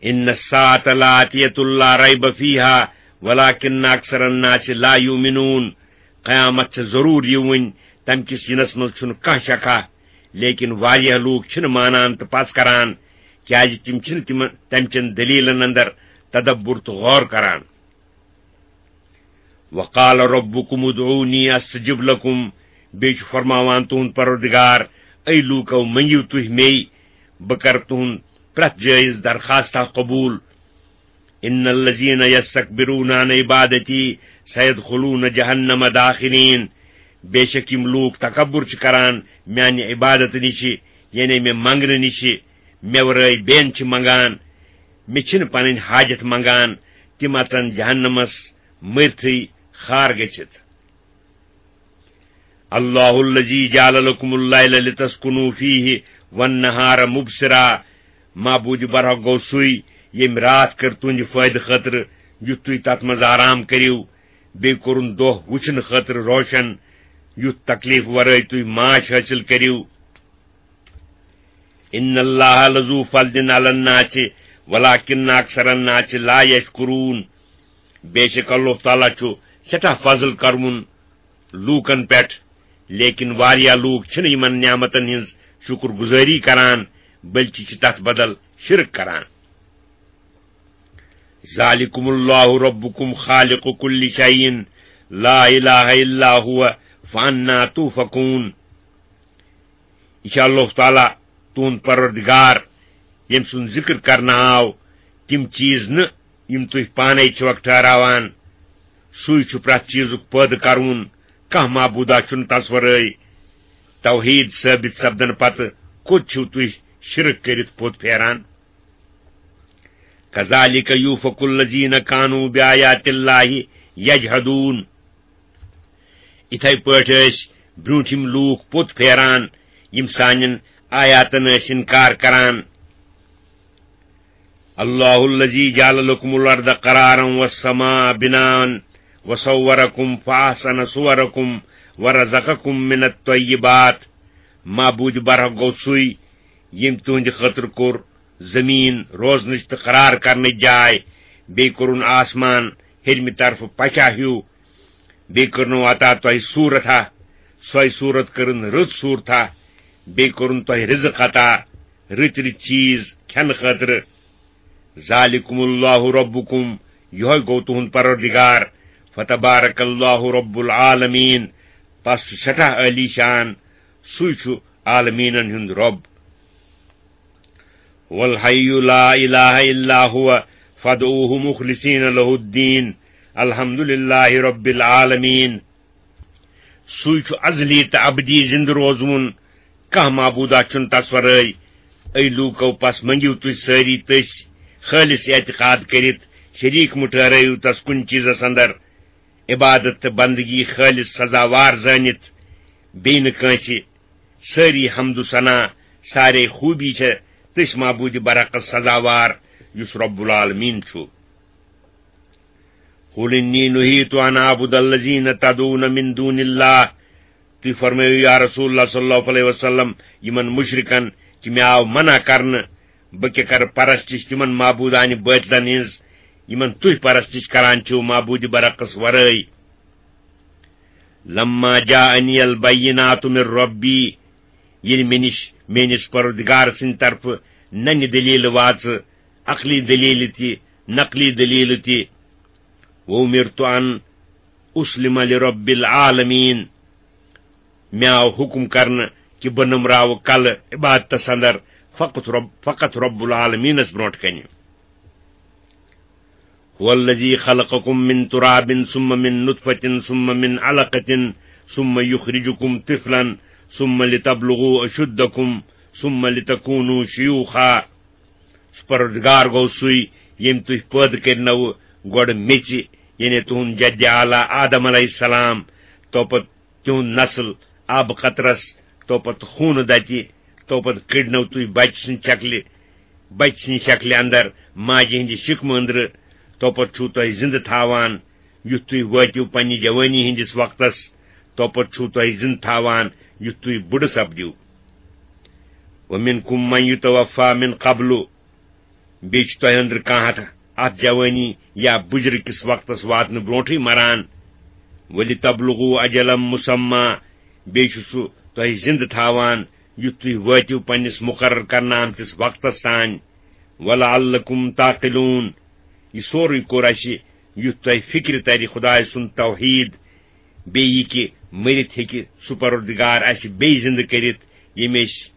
ان الساعة لآتیة لا ریب فیہا ولکن اکثر الناس لا یؤمنون۔ قیامت چھِ ضروٗر یِوٕنۍ، تمہِ کِس یِنس منٛز چھُنہٕ کانٛہہ شکھا، لیکن واریاہ لوٗکھ چھِنہٕ مانان تہٕ پژھ کران، کیازِ تِم چھِنہٕ تِمن، تمہِ چٮ۪ن دٔلیٖلن اندر تدبر تہٕ غور کران۔ وقال ربکم ادعونی استجب لکم، بیٚیہِ چھُ فرماوان تُہُنٛد پروردگار، اے لوٗکو، منگِو تُہۍ مے، بہٕ کرٕ تُہُنٛد پرٛٮ۪تھ جٲیز درخواستہ قبوٗل۔ ان الذین یستکبرون عن عبادتی سیدخلون جہنم داخرین۔ بے شک یِم لوٗکھ تکبر چھِ کران میانہِ عبادت نِشہِ، یعنی مےٚ منگنہٕ نِشہِ، مےٚ ورٲے بیٚین چھِ منگان، مےٚ چھِنہٕ پنٕنۍ حاجت منگان، تِم اژن جہنمس مٔرتھٕے خار گٔژھِتھ۔ اللہ الذی جعل لکم اللیل لتسکنوا فیہ والنہار مبصرا۔ معبود برحق گوٚو سُے، ییٚمۍ راتھ کٔر تُہنٛدِ فٲیدٕ خٲطرٕ، یُتھ تُہۍ تتھ منٛز آرام کٔرِو، بیٚیہِ کوٚرُن دۄہ وٕچھنہٕ خٲطرٕ روشن، یُتھ تکلیف ورٲے تُہۍ معاش حٲصِل کٔرِو۔ ان اللہ لذو فضل علی الناس ولکن اکثر الناس لا یشکرون۔ بے شک اللہ تعالیٰ چھُ سٮ۪ٹھاہ فضل کرون لوٗکن پٮ۪ٹھ، لیکن واریاہ لوٗکھ چھِنہٕ یِمن نعمتن ہٕنٛز شُکر گُزٲری کران، بلکہِ چھِ تتھ بدل شرک کران۔ ذالکم اللہ ربکم خالق کل شیء لا الہ الا هو فانا تؤفکون۔ یہِ چھُ اللہ تعالیٰ تُہُنٛد پروردگار، ییٚمۍ سُنٛد ذِکر کرنہٕ آو، تِم چیٖز نہٕ یِم تُہۍ پانے چھِوکھ ٹھہراوان۔ سُے چھُ پرٛٮ۪تھ چیٖزُک پٲدٕ کرون۔ کانٛہہ معبوٗدا چھُنہٕ تس ورٲے۔ توحیٖد ثٲبت سپدنہٕ پتہٕ کوٚت چھِو تُہۍ شرک کٔرِتھ پوٚت پھیران؟ کذالک یوفک الذین کانوا بآیات اللہ یجحدون۔ یِتھے پٲٹھۍ ٲسۍ برٛونٛٹھِم لوٗکھ پوٚت پھیران، یِم سانٮ۪ن آیاتن ٲسۍ اِنکار کران۔ اللہ الذی جعل لکم الارض قرارا والسماء بناء وصورکم فاحسن صورکم ورزقکم من الطیبات۔ معبود برحق گوٚو سُے، ییٚمۍ تُہنٛدِ خٲطرٕ کوٚر زٔمیٖن روزنٕچ تہٕ قرار کرنٕچ جاے، بیٚیہِ کوٚرُن آسمان ہیٚرمہِ طرفہٕ پچا ہیوٗ، بیٚیہِ کٔرنو عطا تۄہہِ صوٗرت ہا، سۄے صوٗرت کٔرٕن رٕژ صوٗرت ہا، بیٚیہِ کوٚرُن تۄہہِ رِزق عطا، رٕتۍ رٕتۍ چیٖز کھٮ۪نہٕ خٲطرٕ۔ ذالکم اللہ ربکم، یِہوٚے گوٚو تُہُنٛد پروردگار، فتبارک اللہ رب العالمین، پس چھُ سٮ۪ٹھاہ عٲلی شان، سُے چھُ عالمیٖنن ہُنٛد رۄب۔ هو الحي لا إله إلا هو فادعوه مخلصين له الدين الحمد لله رب العالمين۔ سُے چھُ ازلی تہٕ ابدی زِندٕ روزوُن، کانٛہہ معبوٗدا چھُنہٕ تس ورٲے۔ اے لوٗکو، پس منٛگِو تُہۍ سٲری تٔسۍ خٲلص اعتقاد کٔرِتھ، شریٖک مہٕ ٹھہرٲیِو تس کُنہِ چیٖزس اندر۔ عبادت تہٕ بندگی خٲلص سزاوار زٲنِتھ، بیٚیہِ نہٕ کٲنٛسہِ۔ سٲری حمد و ثنا، سارے خوٗبی چھےٚ تٔسۍ معبوٗدِ برحقس سزاوار، یُس رب العالمین چھُ۔ قل انی نہیت ان اعبد الذین تدعون من دون اللہ۔ تُہۍ فرمٲیِو یا رسول اللہ صلی اللہ علیہ وسلم یِمن مُشرِکن کہِ مےٚ آو منع کرنہٕ، بہٕ کیٛاہ کرٕ پرستش تِمن معبوٗدانہِ بٲطلن ہٕنٛز، یِمن تُہۍ پرستش کران چھِو معبوٗدِ برحقس ورٲے۔ لما جاءنی البینات من ربی، ییٚلہِ مےٚ نِش میٲنِس پروردگار سٕنٛدِ طرفہٕ ننہِ دلیلہٕ واژٕ، عقلی دلیلہٕ تہِ، نقلی دلیلہٕ تہِ، وأمرت أن أسلم لرب العالمین، مےٚ آو حُکم کرنہٕ کہِ بہٕ نٔمراوٕ کلہٕ عبادتس اندر فقط رب، فقط رب العالمینس برونٛٹھ کنہِ۔ هو الذي خلقكم من تراب ثم من نطفة ثم من علقة ثم يخرجكم طفلا ثم لتبلغوا أشدكم ثم لتكونوا شيوخا۔ سُہ پروردگار گوٚو سُے، ییٚمۍ تُہۍ پٲدٕ کٔرنو گۄڈٕ میٚژِ، یعنی تُہُنٛد جدِ اعلیٰ آدم علیہ السلام، تو پتہٕ تِہُنٛد نسل آبہٕ قطرس، تو پتہٕ خوٗنہٕ دتہِ، تو پتہٕ کٔڑنو تُہۍ بچہِ سٕنٛدِ شکلہِ، بچہِ سٕنٛدِ شکلہِ اندر ماجہِ ہٕنٛدِ شکمہٕ أنٛدرٕ، تو پتہٕ چھُو تۄہہِ زِندٕ تھاوان، یُتھ تُہۍ وٲتِو پننہِ جوٲنی ہٕنٛدِس وقتس، تو پتہٕ چھُو تۄہہِ زِندٕ تھاوان، یُتھ تُہۍ بُڈٕ سپدِو۔ ومنکم من یتوفی من قبل، بیٚیہِ چھُ تۄہہِ أنٛدرٕ کانٛہہ اتھ، اتھ جوٲنی یا بُجرٕ کِس وقتس واتنہٕ برونٛٹھٕے مران۔ ولتبلغوا اجلا مسمی، بیٚیہِ چھُ سُہ تۄہہِ زِندٕ تھاوان، یُتھ تُہۍ وٲتِو پننِس مُقرر کرنہٕ آمتِس وقتس تام۔ ولعلکم تعقلون، یہِ سورُے کوٚر اَسہِ، یُتھ تۄہہِ فِکرِ ترِ خۄداے سُنٛد توحیٖد، بیٚیہِ یہِ کہِ مٔرِتھ ہیٚکہِ سُہ پروردگار اَسہِ بیٚیہِ زِندٕ کٔرِتھ، ییٚمۍ أسۍ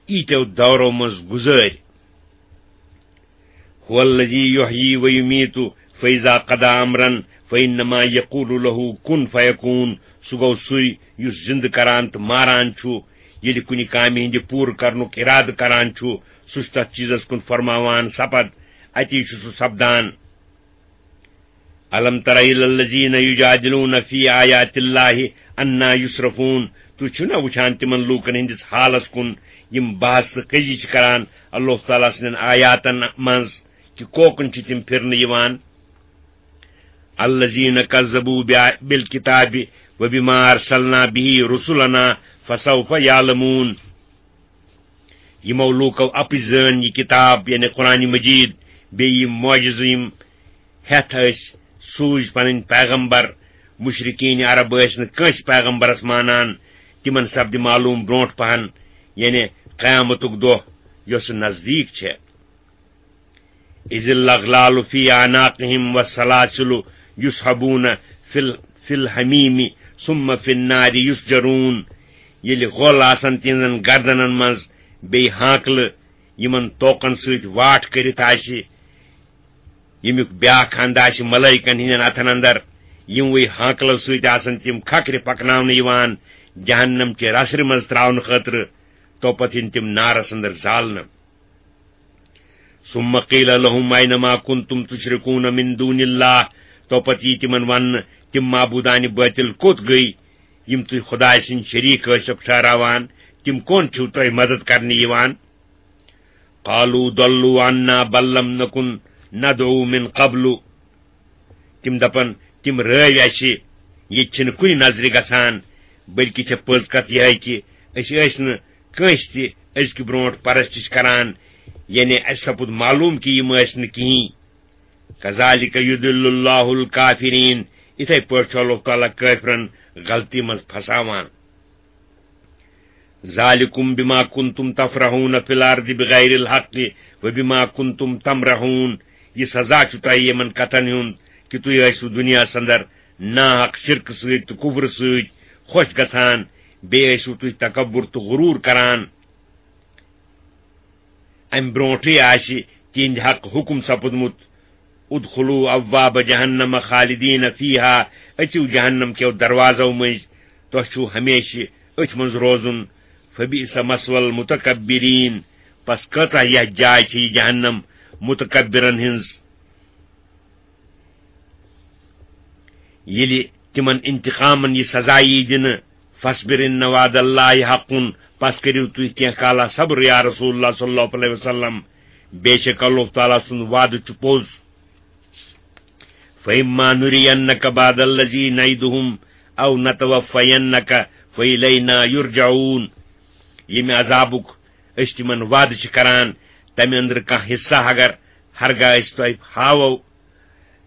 ییٖتیو دورو منٛز گُزٲرۍ۔ هو الذی یحیی و یمیت فاذا قضی امرا فانما یقول له کن فیکون۔ سُہ گوٚو سُے یُس زِندٕ کران تہٕ ماران چھُ۔ ییٚلہِ کُنہِ کامہِ ہٕنٛدِ پوٗرٕ کرنُک اِرادٕ کران چھُ، سُہ چھُ تَتھ چیٖزس کُن فرماوان سپد، اَتی چھُ سُہ سپدان۔ الم تر الی الذین یجادلون فی آیات اللہ انا یصرفون۔ تُہۍ چھِو نا وٕچھان تِمن لوٗکن ہٕنٛدِس حالس کُن، یِم بحث تہٕ کٔزی چھِ کران اللہ تعالیٰ سٕنٛدٮ۪ن آیاتن منٛز، کہِ کوکُن چھِ تِم پھِرنہٕ یِوان؟ الذین کذبوا بآ-، بالکتاب وبما ارسلنا به رسلنا فسوف یعلمون۔ یِمو لوٗکو اَپٕزۍ زٲنۍ یہِ کِتاب، یعنی قرآن مجیٖد، بیٚیہِ یِم معجزٕ، یِم ہٮ۪تھ ٲسۍ سوٗزۍ پنٕنۍ پیغمبر۔ مشرکین عرب ٲسۍ نہٕ کٲنٛسہِ پیغمبرس مانان، تِمن سپدِ معلوم برونٹھ پہن، یعنی قیامتُک دۄہ یۄس نزدیٖک چھےٚ۔ اذ الاغلال فی اعناقہم والسلاسل یصحبون فی ال-، فی الحمیم ثم فی النار یسجرون۔ ییٚلہِ غۄل آسن تِہنٛزن گردنن منٛز، بیٚیہِ ہانکلہٕ یِمن توکن سۭتۍ واٹھ کٔرِتھ آسہِ، ییٚمیُک بیاکھ ہند آسہِ ملٲیکن ہٕنٛدٮ۪ن اتھن اندر، یِموٕے ہانکلو سۭتۍ آسن تِم کھکھرِ پکناونہٕ یِوان جہنم چہِ رسرِ منٛز تراونہٕ خٲطرٕ، توپتہٕ یِن تِم نارس اندر زالنہٕ۔ ثم قیل لهم أين ما كنتم تشركون من دون الله، توپتہٕ یی تِمن وننہٕ، تِم معبوٗدانہِ بٲطِل کوٚت گٔے، یِم تُہۍ خۄداے سٕنٛدۍ شریٖک ٲسِکھ ٹھہراوان، تِم کون چھِو تۄہہِ مدد کرنہِ یِوان؟ قالوا ضلوا عنا بل لم نكن ندعو من قبل۔ تِم دپن، تِم رٲوۍ اَسہِ، ییٚتہِ چھِنہٕ کُنہِ نظرِ گژھان، بلکہِ چھےٚ پٔز کتھ یِہے کہِ أسۍ ٲسۍ نہٕ کٲنٛسہِ تہِ أزکہِ برونٛٹھ پرستش کران، یعنی اَسہِ سپُد معلوم کہِ یِم ٲسۍ نہٕ کِہیٖنۍ۔ كذلك يضل الله الكافرين، یِتھے پٲٹھۍ چھُ اللہ تعالیٰ کٲفرن غلطی منٛز پھساوان۔ ذلكم بما كنتم تفرحون في الأرض بغير الحق وبما كنتم تمرحون۔ یہِ سزا چھُ تۄہہِ یِمن کتھن ہُنٛد کہِ تُہۍ ٲسِو دُنیاہس اندر ناحق شرکہٕ سۭتۍ تہٕ کفرٕ سۭتۍ خۄش گژھان، بیٚیہِ ٲسِو تُہۍ تکبر تہٕ غروٗر کران۔ امہِ برونٹھٕے آسہِ تِہنٛدِ حق حکم سپُدمُت، "ادخلوا ابواب جہنم خالدین فیہا"، أژِو جہنم کیو دروازو مٔنٛزۍ، تۄہہِ چھُو ہمیشہِ أتھۍ منٛز روزُن۔ فبئس مثوى المتکبرین، پس کۭژاہ یتھ جاے چھِ یہِ جہنم متکبرن ہٕنٛز۔ ییٚلہِ تِمن انتقامن یہِ سزا یی دِنہٕ، "فاصبر ان وعد اللہ حق"، پس کٔرِو تُہۍ کینٛہہ کالا صبر یا رسول اللہ صلی اللہ علیہ وسلم، بے شک اللہ تعالیٰ سُنٛد وعدٕ چھُ پوٚز۔ "فإما نرينك بعض الذي نعدهم أو نتوفينك فإلينا يرجعون"، ییٚمہِ عذابُک أسۍ تِمن وعدٕ چھِ کران، تمہِ أنٛدرٕ کانٛہہ حصہ اگر ہرگاہ أسۍ تۄہہِ ہاوو،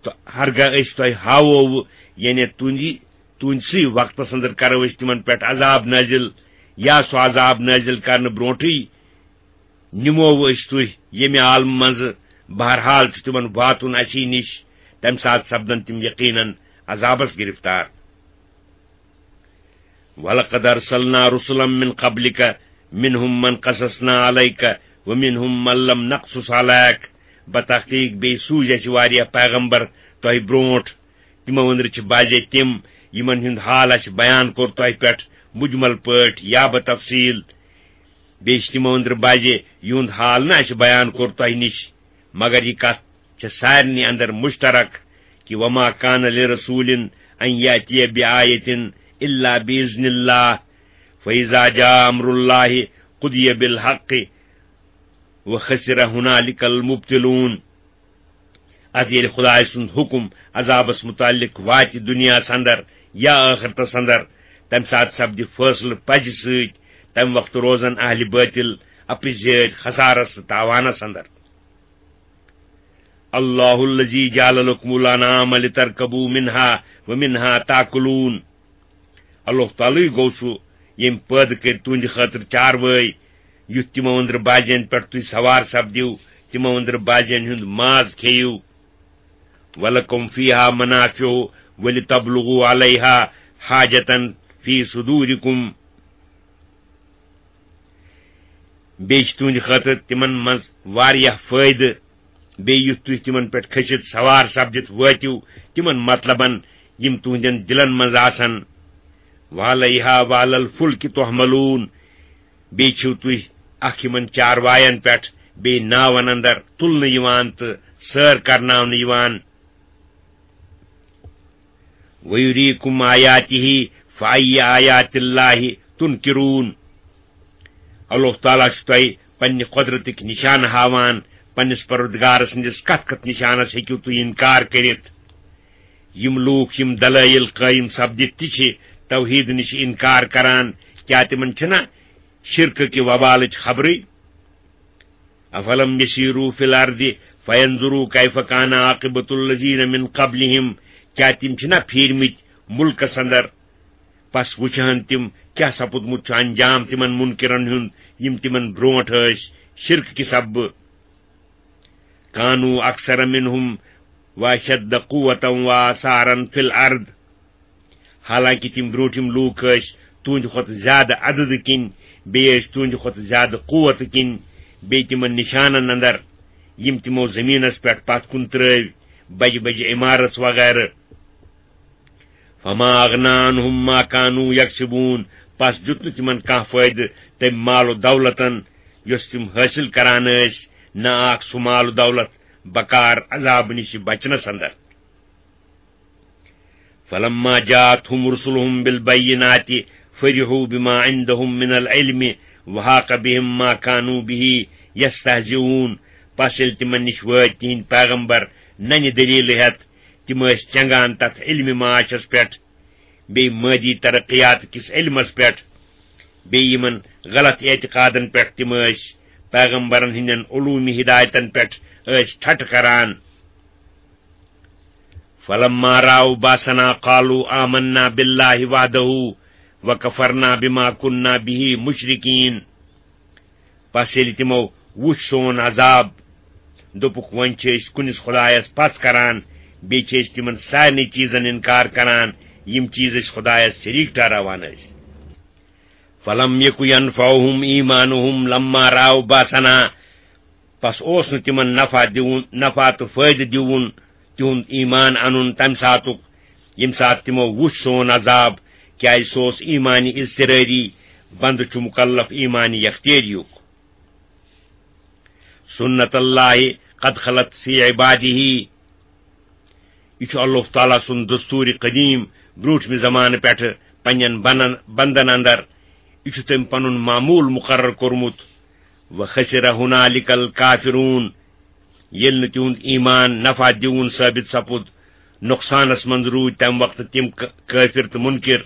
تہٕ ہرگاہ أسۍ تۄہہِ ہاوو، یعنی تُہنٛدِ، تُہنٛدسٕے وقتس اندر کرو أسۍ تِمن پٮ۪ٹھ عذاب نٲزِل، یا سُہ عذاب نٲزِل کرنہٕ برونٹھٕے نِمو أسۍ تُہۍ ییٚمہِ عالمہٕ منٛزٕ۔ بہرحال چھُ تِمن واتُن اسی نِش، تمہِ ساتہٕ سپدن تِم یقیناً عذابس گرفتار۔ وَلَقَدْ أَرْسَلْنَا رُسُلًا مِنْ قَبْلِكَ مِنْهُمْ مَنْ قَصَصْنَا عَلَيْكَ وَمِنْهُمْ مَنْ لَمْ نَقْصُصْ عَلَيْكَ۔ بتحقیق بیٚیہِ سوٗزۍ اَسہِ واریاہ پیغمبر تۄہہِ برونٛٹھ۔ تِمو أنٛدرٕ چھِ بعضے تِم، یِمن ہُنٛد حال اَسہِ بیان کوٚر تۄہہِ پٮ۪ٹھ مجمل پٲٹھۍ یا بتفصیل۔ بیٚیہِ چھِ تِمو أنٛدرٕ بعضے، یِہُنٛد حال نہٕ اَسہِ بیان کوٚر تۄہہِ نِش، مگر یہِ کتھ چھےٚ سارنٕے اندر مشترک کہِ "وما كان لرسول أن يأتي بآية إلا بإذن الله فإذا جاء أمر الله قضي بالحق وخسر هنالك المبطلون"۔ ادٕ ییٚلہِ خدایہِ سُنٛد حُکم عذابس متعلق واتہِ دُنیاہس اندر یا ٲخرتس اندر، تمہِ ساتہٕ سپدِ فٲصلہٕ پزِ سۭتۍ، تمہِ وقتہٕ روزن اہلِ بٲطِل اپٕزۍ زیٲدۍ خسارس تہٕ تاوانس اندر۔ "الله الذي جعل لكم الأنعام لتركبوا منها ومنها تأكلون"۔ اللہ تعالیٰ گوٚو سُہ، ییٚمۍ پٲدٕ کٔرۍ تُہنٛدِ خٲطرٕ چاروٲے، یُتھ تِمو أنٛدرٕ بعضین پٮ۪ٹھ تُہۍ سوار سپدِو، تِمو أنٛدرٕ بعضین ہُنٛد ماز کھیٚیِو۔ "ولكم فيها منافع ولتبلغوا عليها حاجة في صدوركم"۔ بیٚیہِ چھِ تُہنٛدِ خٲطرٕ تِمن منٛز واریاہ فٲیدٕ۔ بیٚیہِ یُتھ تُہۍ تِمن پٮ۪ٹھ کھٔسِتھ سوار سپدِتھ وٲتِو تِمن مطلبن، یِم تُہنٛدٮ۪ن دِلن منٛز آسن۔ "وعليها وعلى الفلك تحملون"۔ بیٚیہِ چھِو تُہۍ اکھ یِمن چارواین پٮ۪ٹھ بیٚیہِ ناون اندر تُلنہٕ یِوان تہٕ سٲر کرناونہٕ یِوان۔ "ويريكم آياته فأي آيات الله تنكرون"۔ اللہ تعالیٰ چھُ تۄہہِ پننہِ قۄدرتٕکۍ نِشانہٕ ہاوان، پننِس پروردگار سٕنٛدِس کتھ کتھ نِشانس ہیٚکِو تُہۍ انکار کٔرِتھ؟ یِم لوٗکھ یِم دلٲیل قٲیِم سپدِتھ تہِ چھِ توحیٖد نِش انکار کران، کیٛاہ تِمن چھِنہ شرکہٕ کہِ وبالٕچ خبرٕے؟ افلم یسیروا فی الارض فینظروا کیف کان عاقبۃ الذین من قبلہم، کیا تِم چھِنہ پھیرمٕتۍ مُلکس اندر؟ پس وٕچھہن تِم کیا سپُدمُت چھُ انجام تِمن منکرن ہُنٛد، یِم تِمن برونٹھ ٲسۍ شرک کہِ سببہٕ۔ کانوا اکثر منہم واشد قوتا واثارا فی الارض۔ حالانکہ تِم برونٹھِم لوٗکھ ٲسۍ تُہنٛدِ کھۄتہٕ زیادٕ عددٕ کِنۍ، بیٚیہِ ٲسۍ تُہنٛدِ کھۄتہٕ زیادٕ قوتہٕ کِنۍ، بیٚیہِ تِمن نشانن اندر، یِم تِمو زمینس پٮ۪ٹھ پتھ کُن ترٲوۍ، بجہِ بجہِ عمارژ وغیرہ۔ فما اغنی عنہم ما کانوا یکسبون، پس دیُت نہٕ تِمن کانٛہہ فٲیدٕ تمہِ مال و دولتن یۄس تِم حٲصِل کران ٲسۍ، نہ آکھ سُہ مال و دولت بکار عذاب نِش بچنس اندر۔ فلما جاءتهم رسلهم بالبينات فرحوا بما عندهم من العلم وحاق بهم ما كانوا به يستهزئون۔ پس ییٚلہِ تِمن نِش وٲتۍ تِہنٛدۍ پیغمبر ننہِ دٔلیٖلہٕ ہٮ۪تھ، تِم ٲسۍ چنگان تتھ علمِ معاشس پٮ۪ٹھ، بیٚیہِ مٲدی ترقیات کِس علمس پٮ۪ٹھ، بیٚیہِ یِمن غلط اعتقادن پٮ۪ٹھ۔ تِم ٲسۍ پیغمبرن ہٕنٛدٮ۪ن علومی ہدایتن پٮ۪ٹھ ٲسۍ ٹھٹھٕ کران۔ فلما رأوا بأسنا قالوا آمنا بالله وحده وكفرنا بما كنا به مشركين۔ پس ییٚلہِ تِمو وُچھ سون عذاب، دوٚپُکھ، وۄنۍ چھِ أسۍ کُنِس خۄدایس پتھ کران، بیٚیہِ چھِ أسۍ تِمن سارنٕے چیٖزن انکار کران، یِم چیٖز أسۍ خۄدایس شریٖک ٹھہراوان ٲسۍ۔ فلم یک ینفعہم ایمانہم لما رأوا بأسنا۔ پس اوس نہٕ تِمن نفع دیُن، نفع تہٕ فٲیدٕ دیُن، تِہُنٛد ایمان انُن تمہِ ساتُک، ییٚمہِ ساتہٕ تِمو وُچھ سون عذاب، کیازِ سُہ اوس ایمانِ اضطراری، بندٕ چھُ مکلف ایمانِ یختیٲریُک۔ سنت اللہ قد خلت فی عبادہ، یہِ چھُ اللہ تعالیٰ سُنٛد دستوٗرِ قدیٖم برٛوٗنٛٹھمہِ زمانہٕ پٮ۪ٹھٕ پننٮ۪ن بنن-، بندن اندر۔ یہِ چھُ تٔمۍ پنُن معموٗل مُقرر کوٚرمُت۔ وخسر ہنالک الکافرون، ییٚلہِ نہٕ تِہُنٛد ایمان نفع دیوُن ثٲبت سپُد، نۄقصانس منٛز روٗدۍ تمہِ وقتہٕ تِم ک-، کٲفر تہٕ مُنکر۔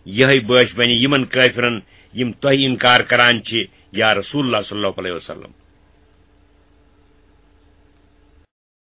یِہے بٲش بنہِ یِمن کٲفرن، یِم تۄہہِ انکار کران چھِ، یا رسول اللہ صلی اللہ علیہ وسلم۔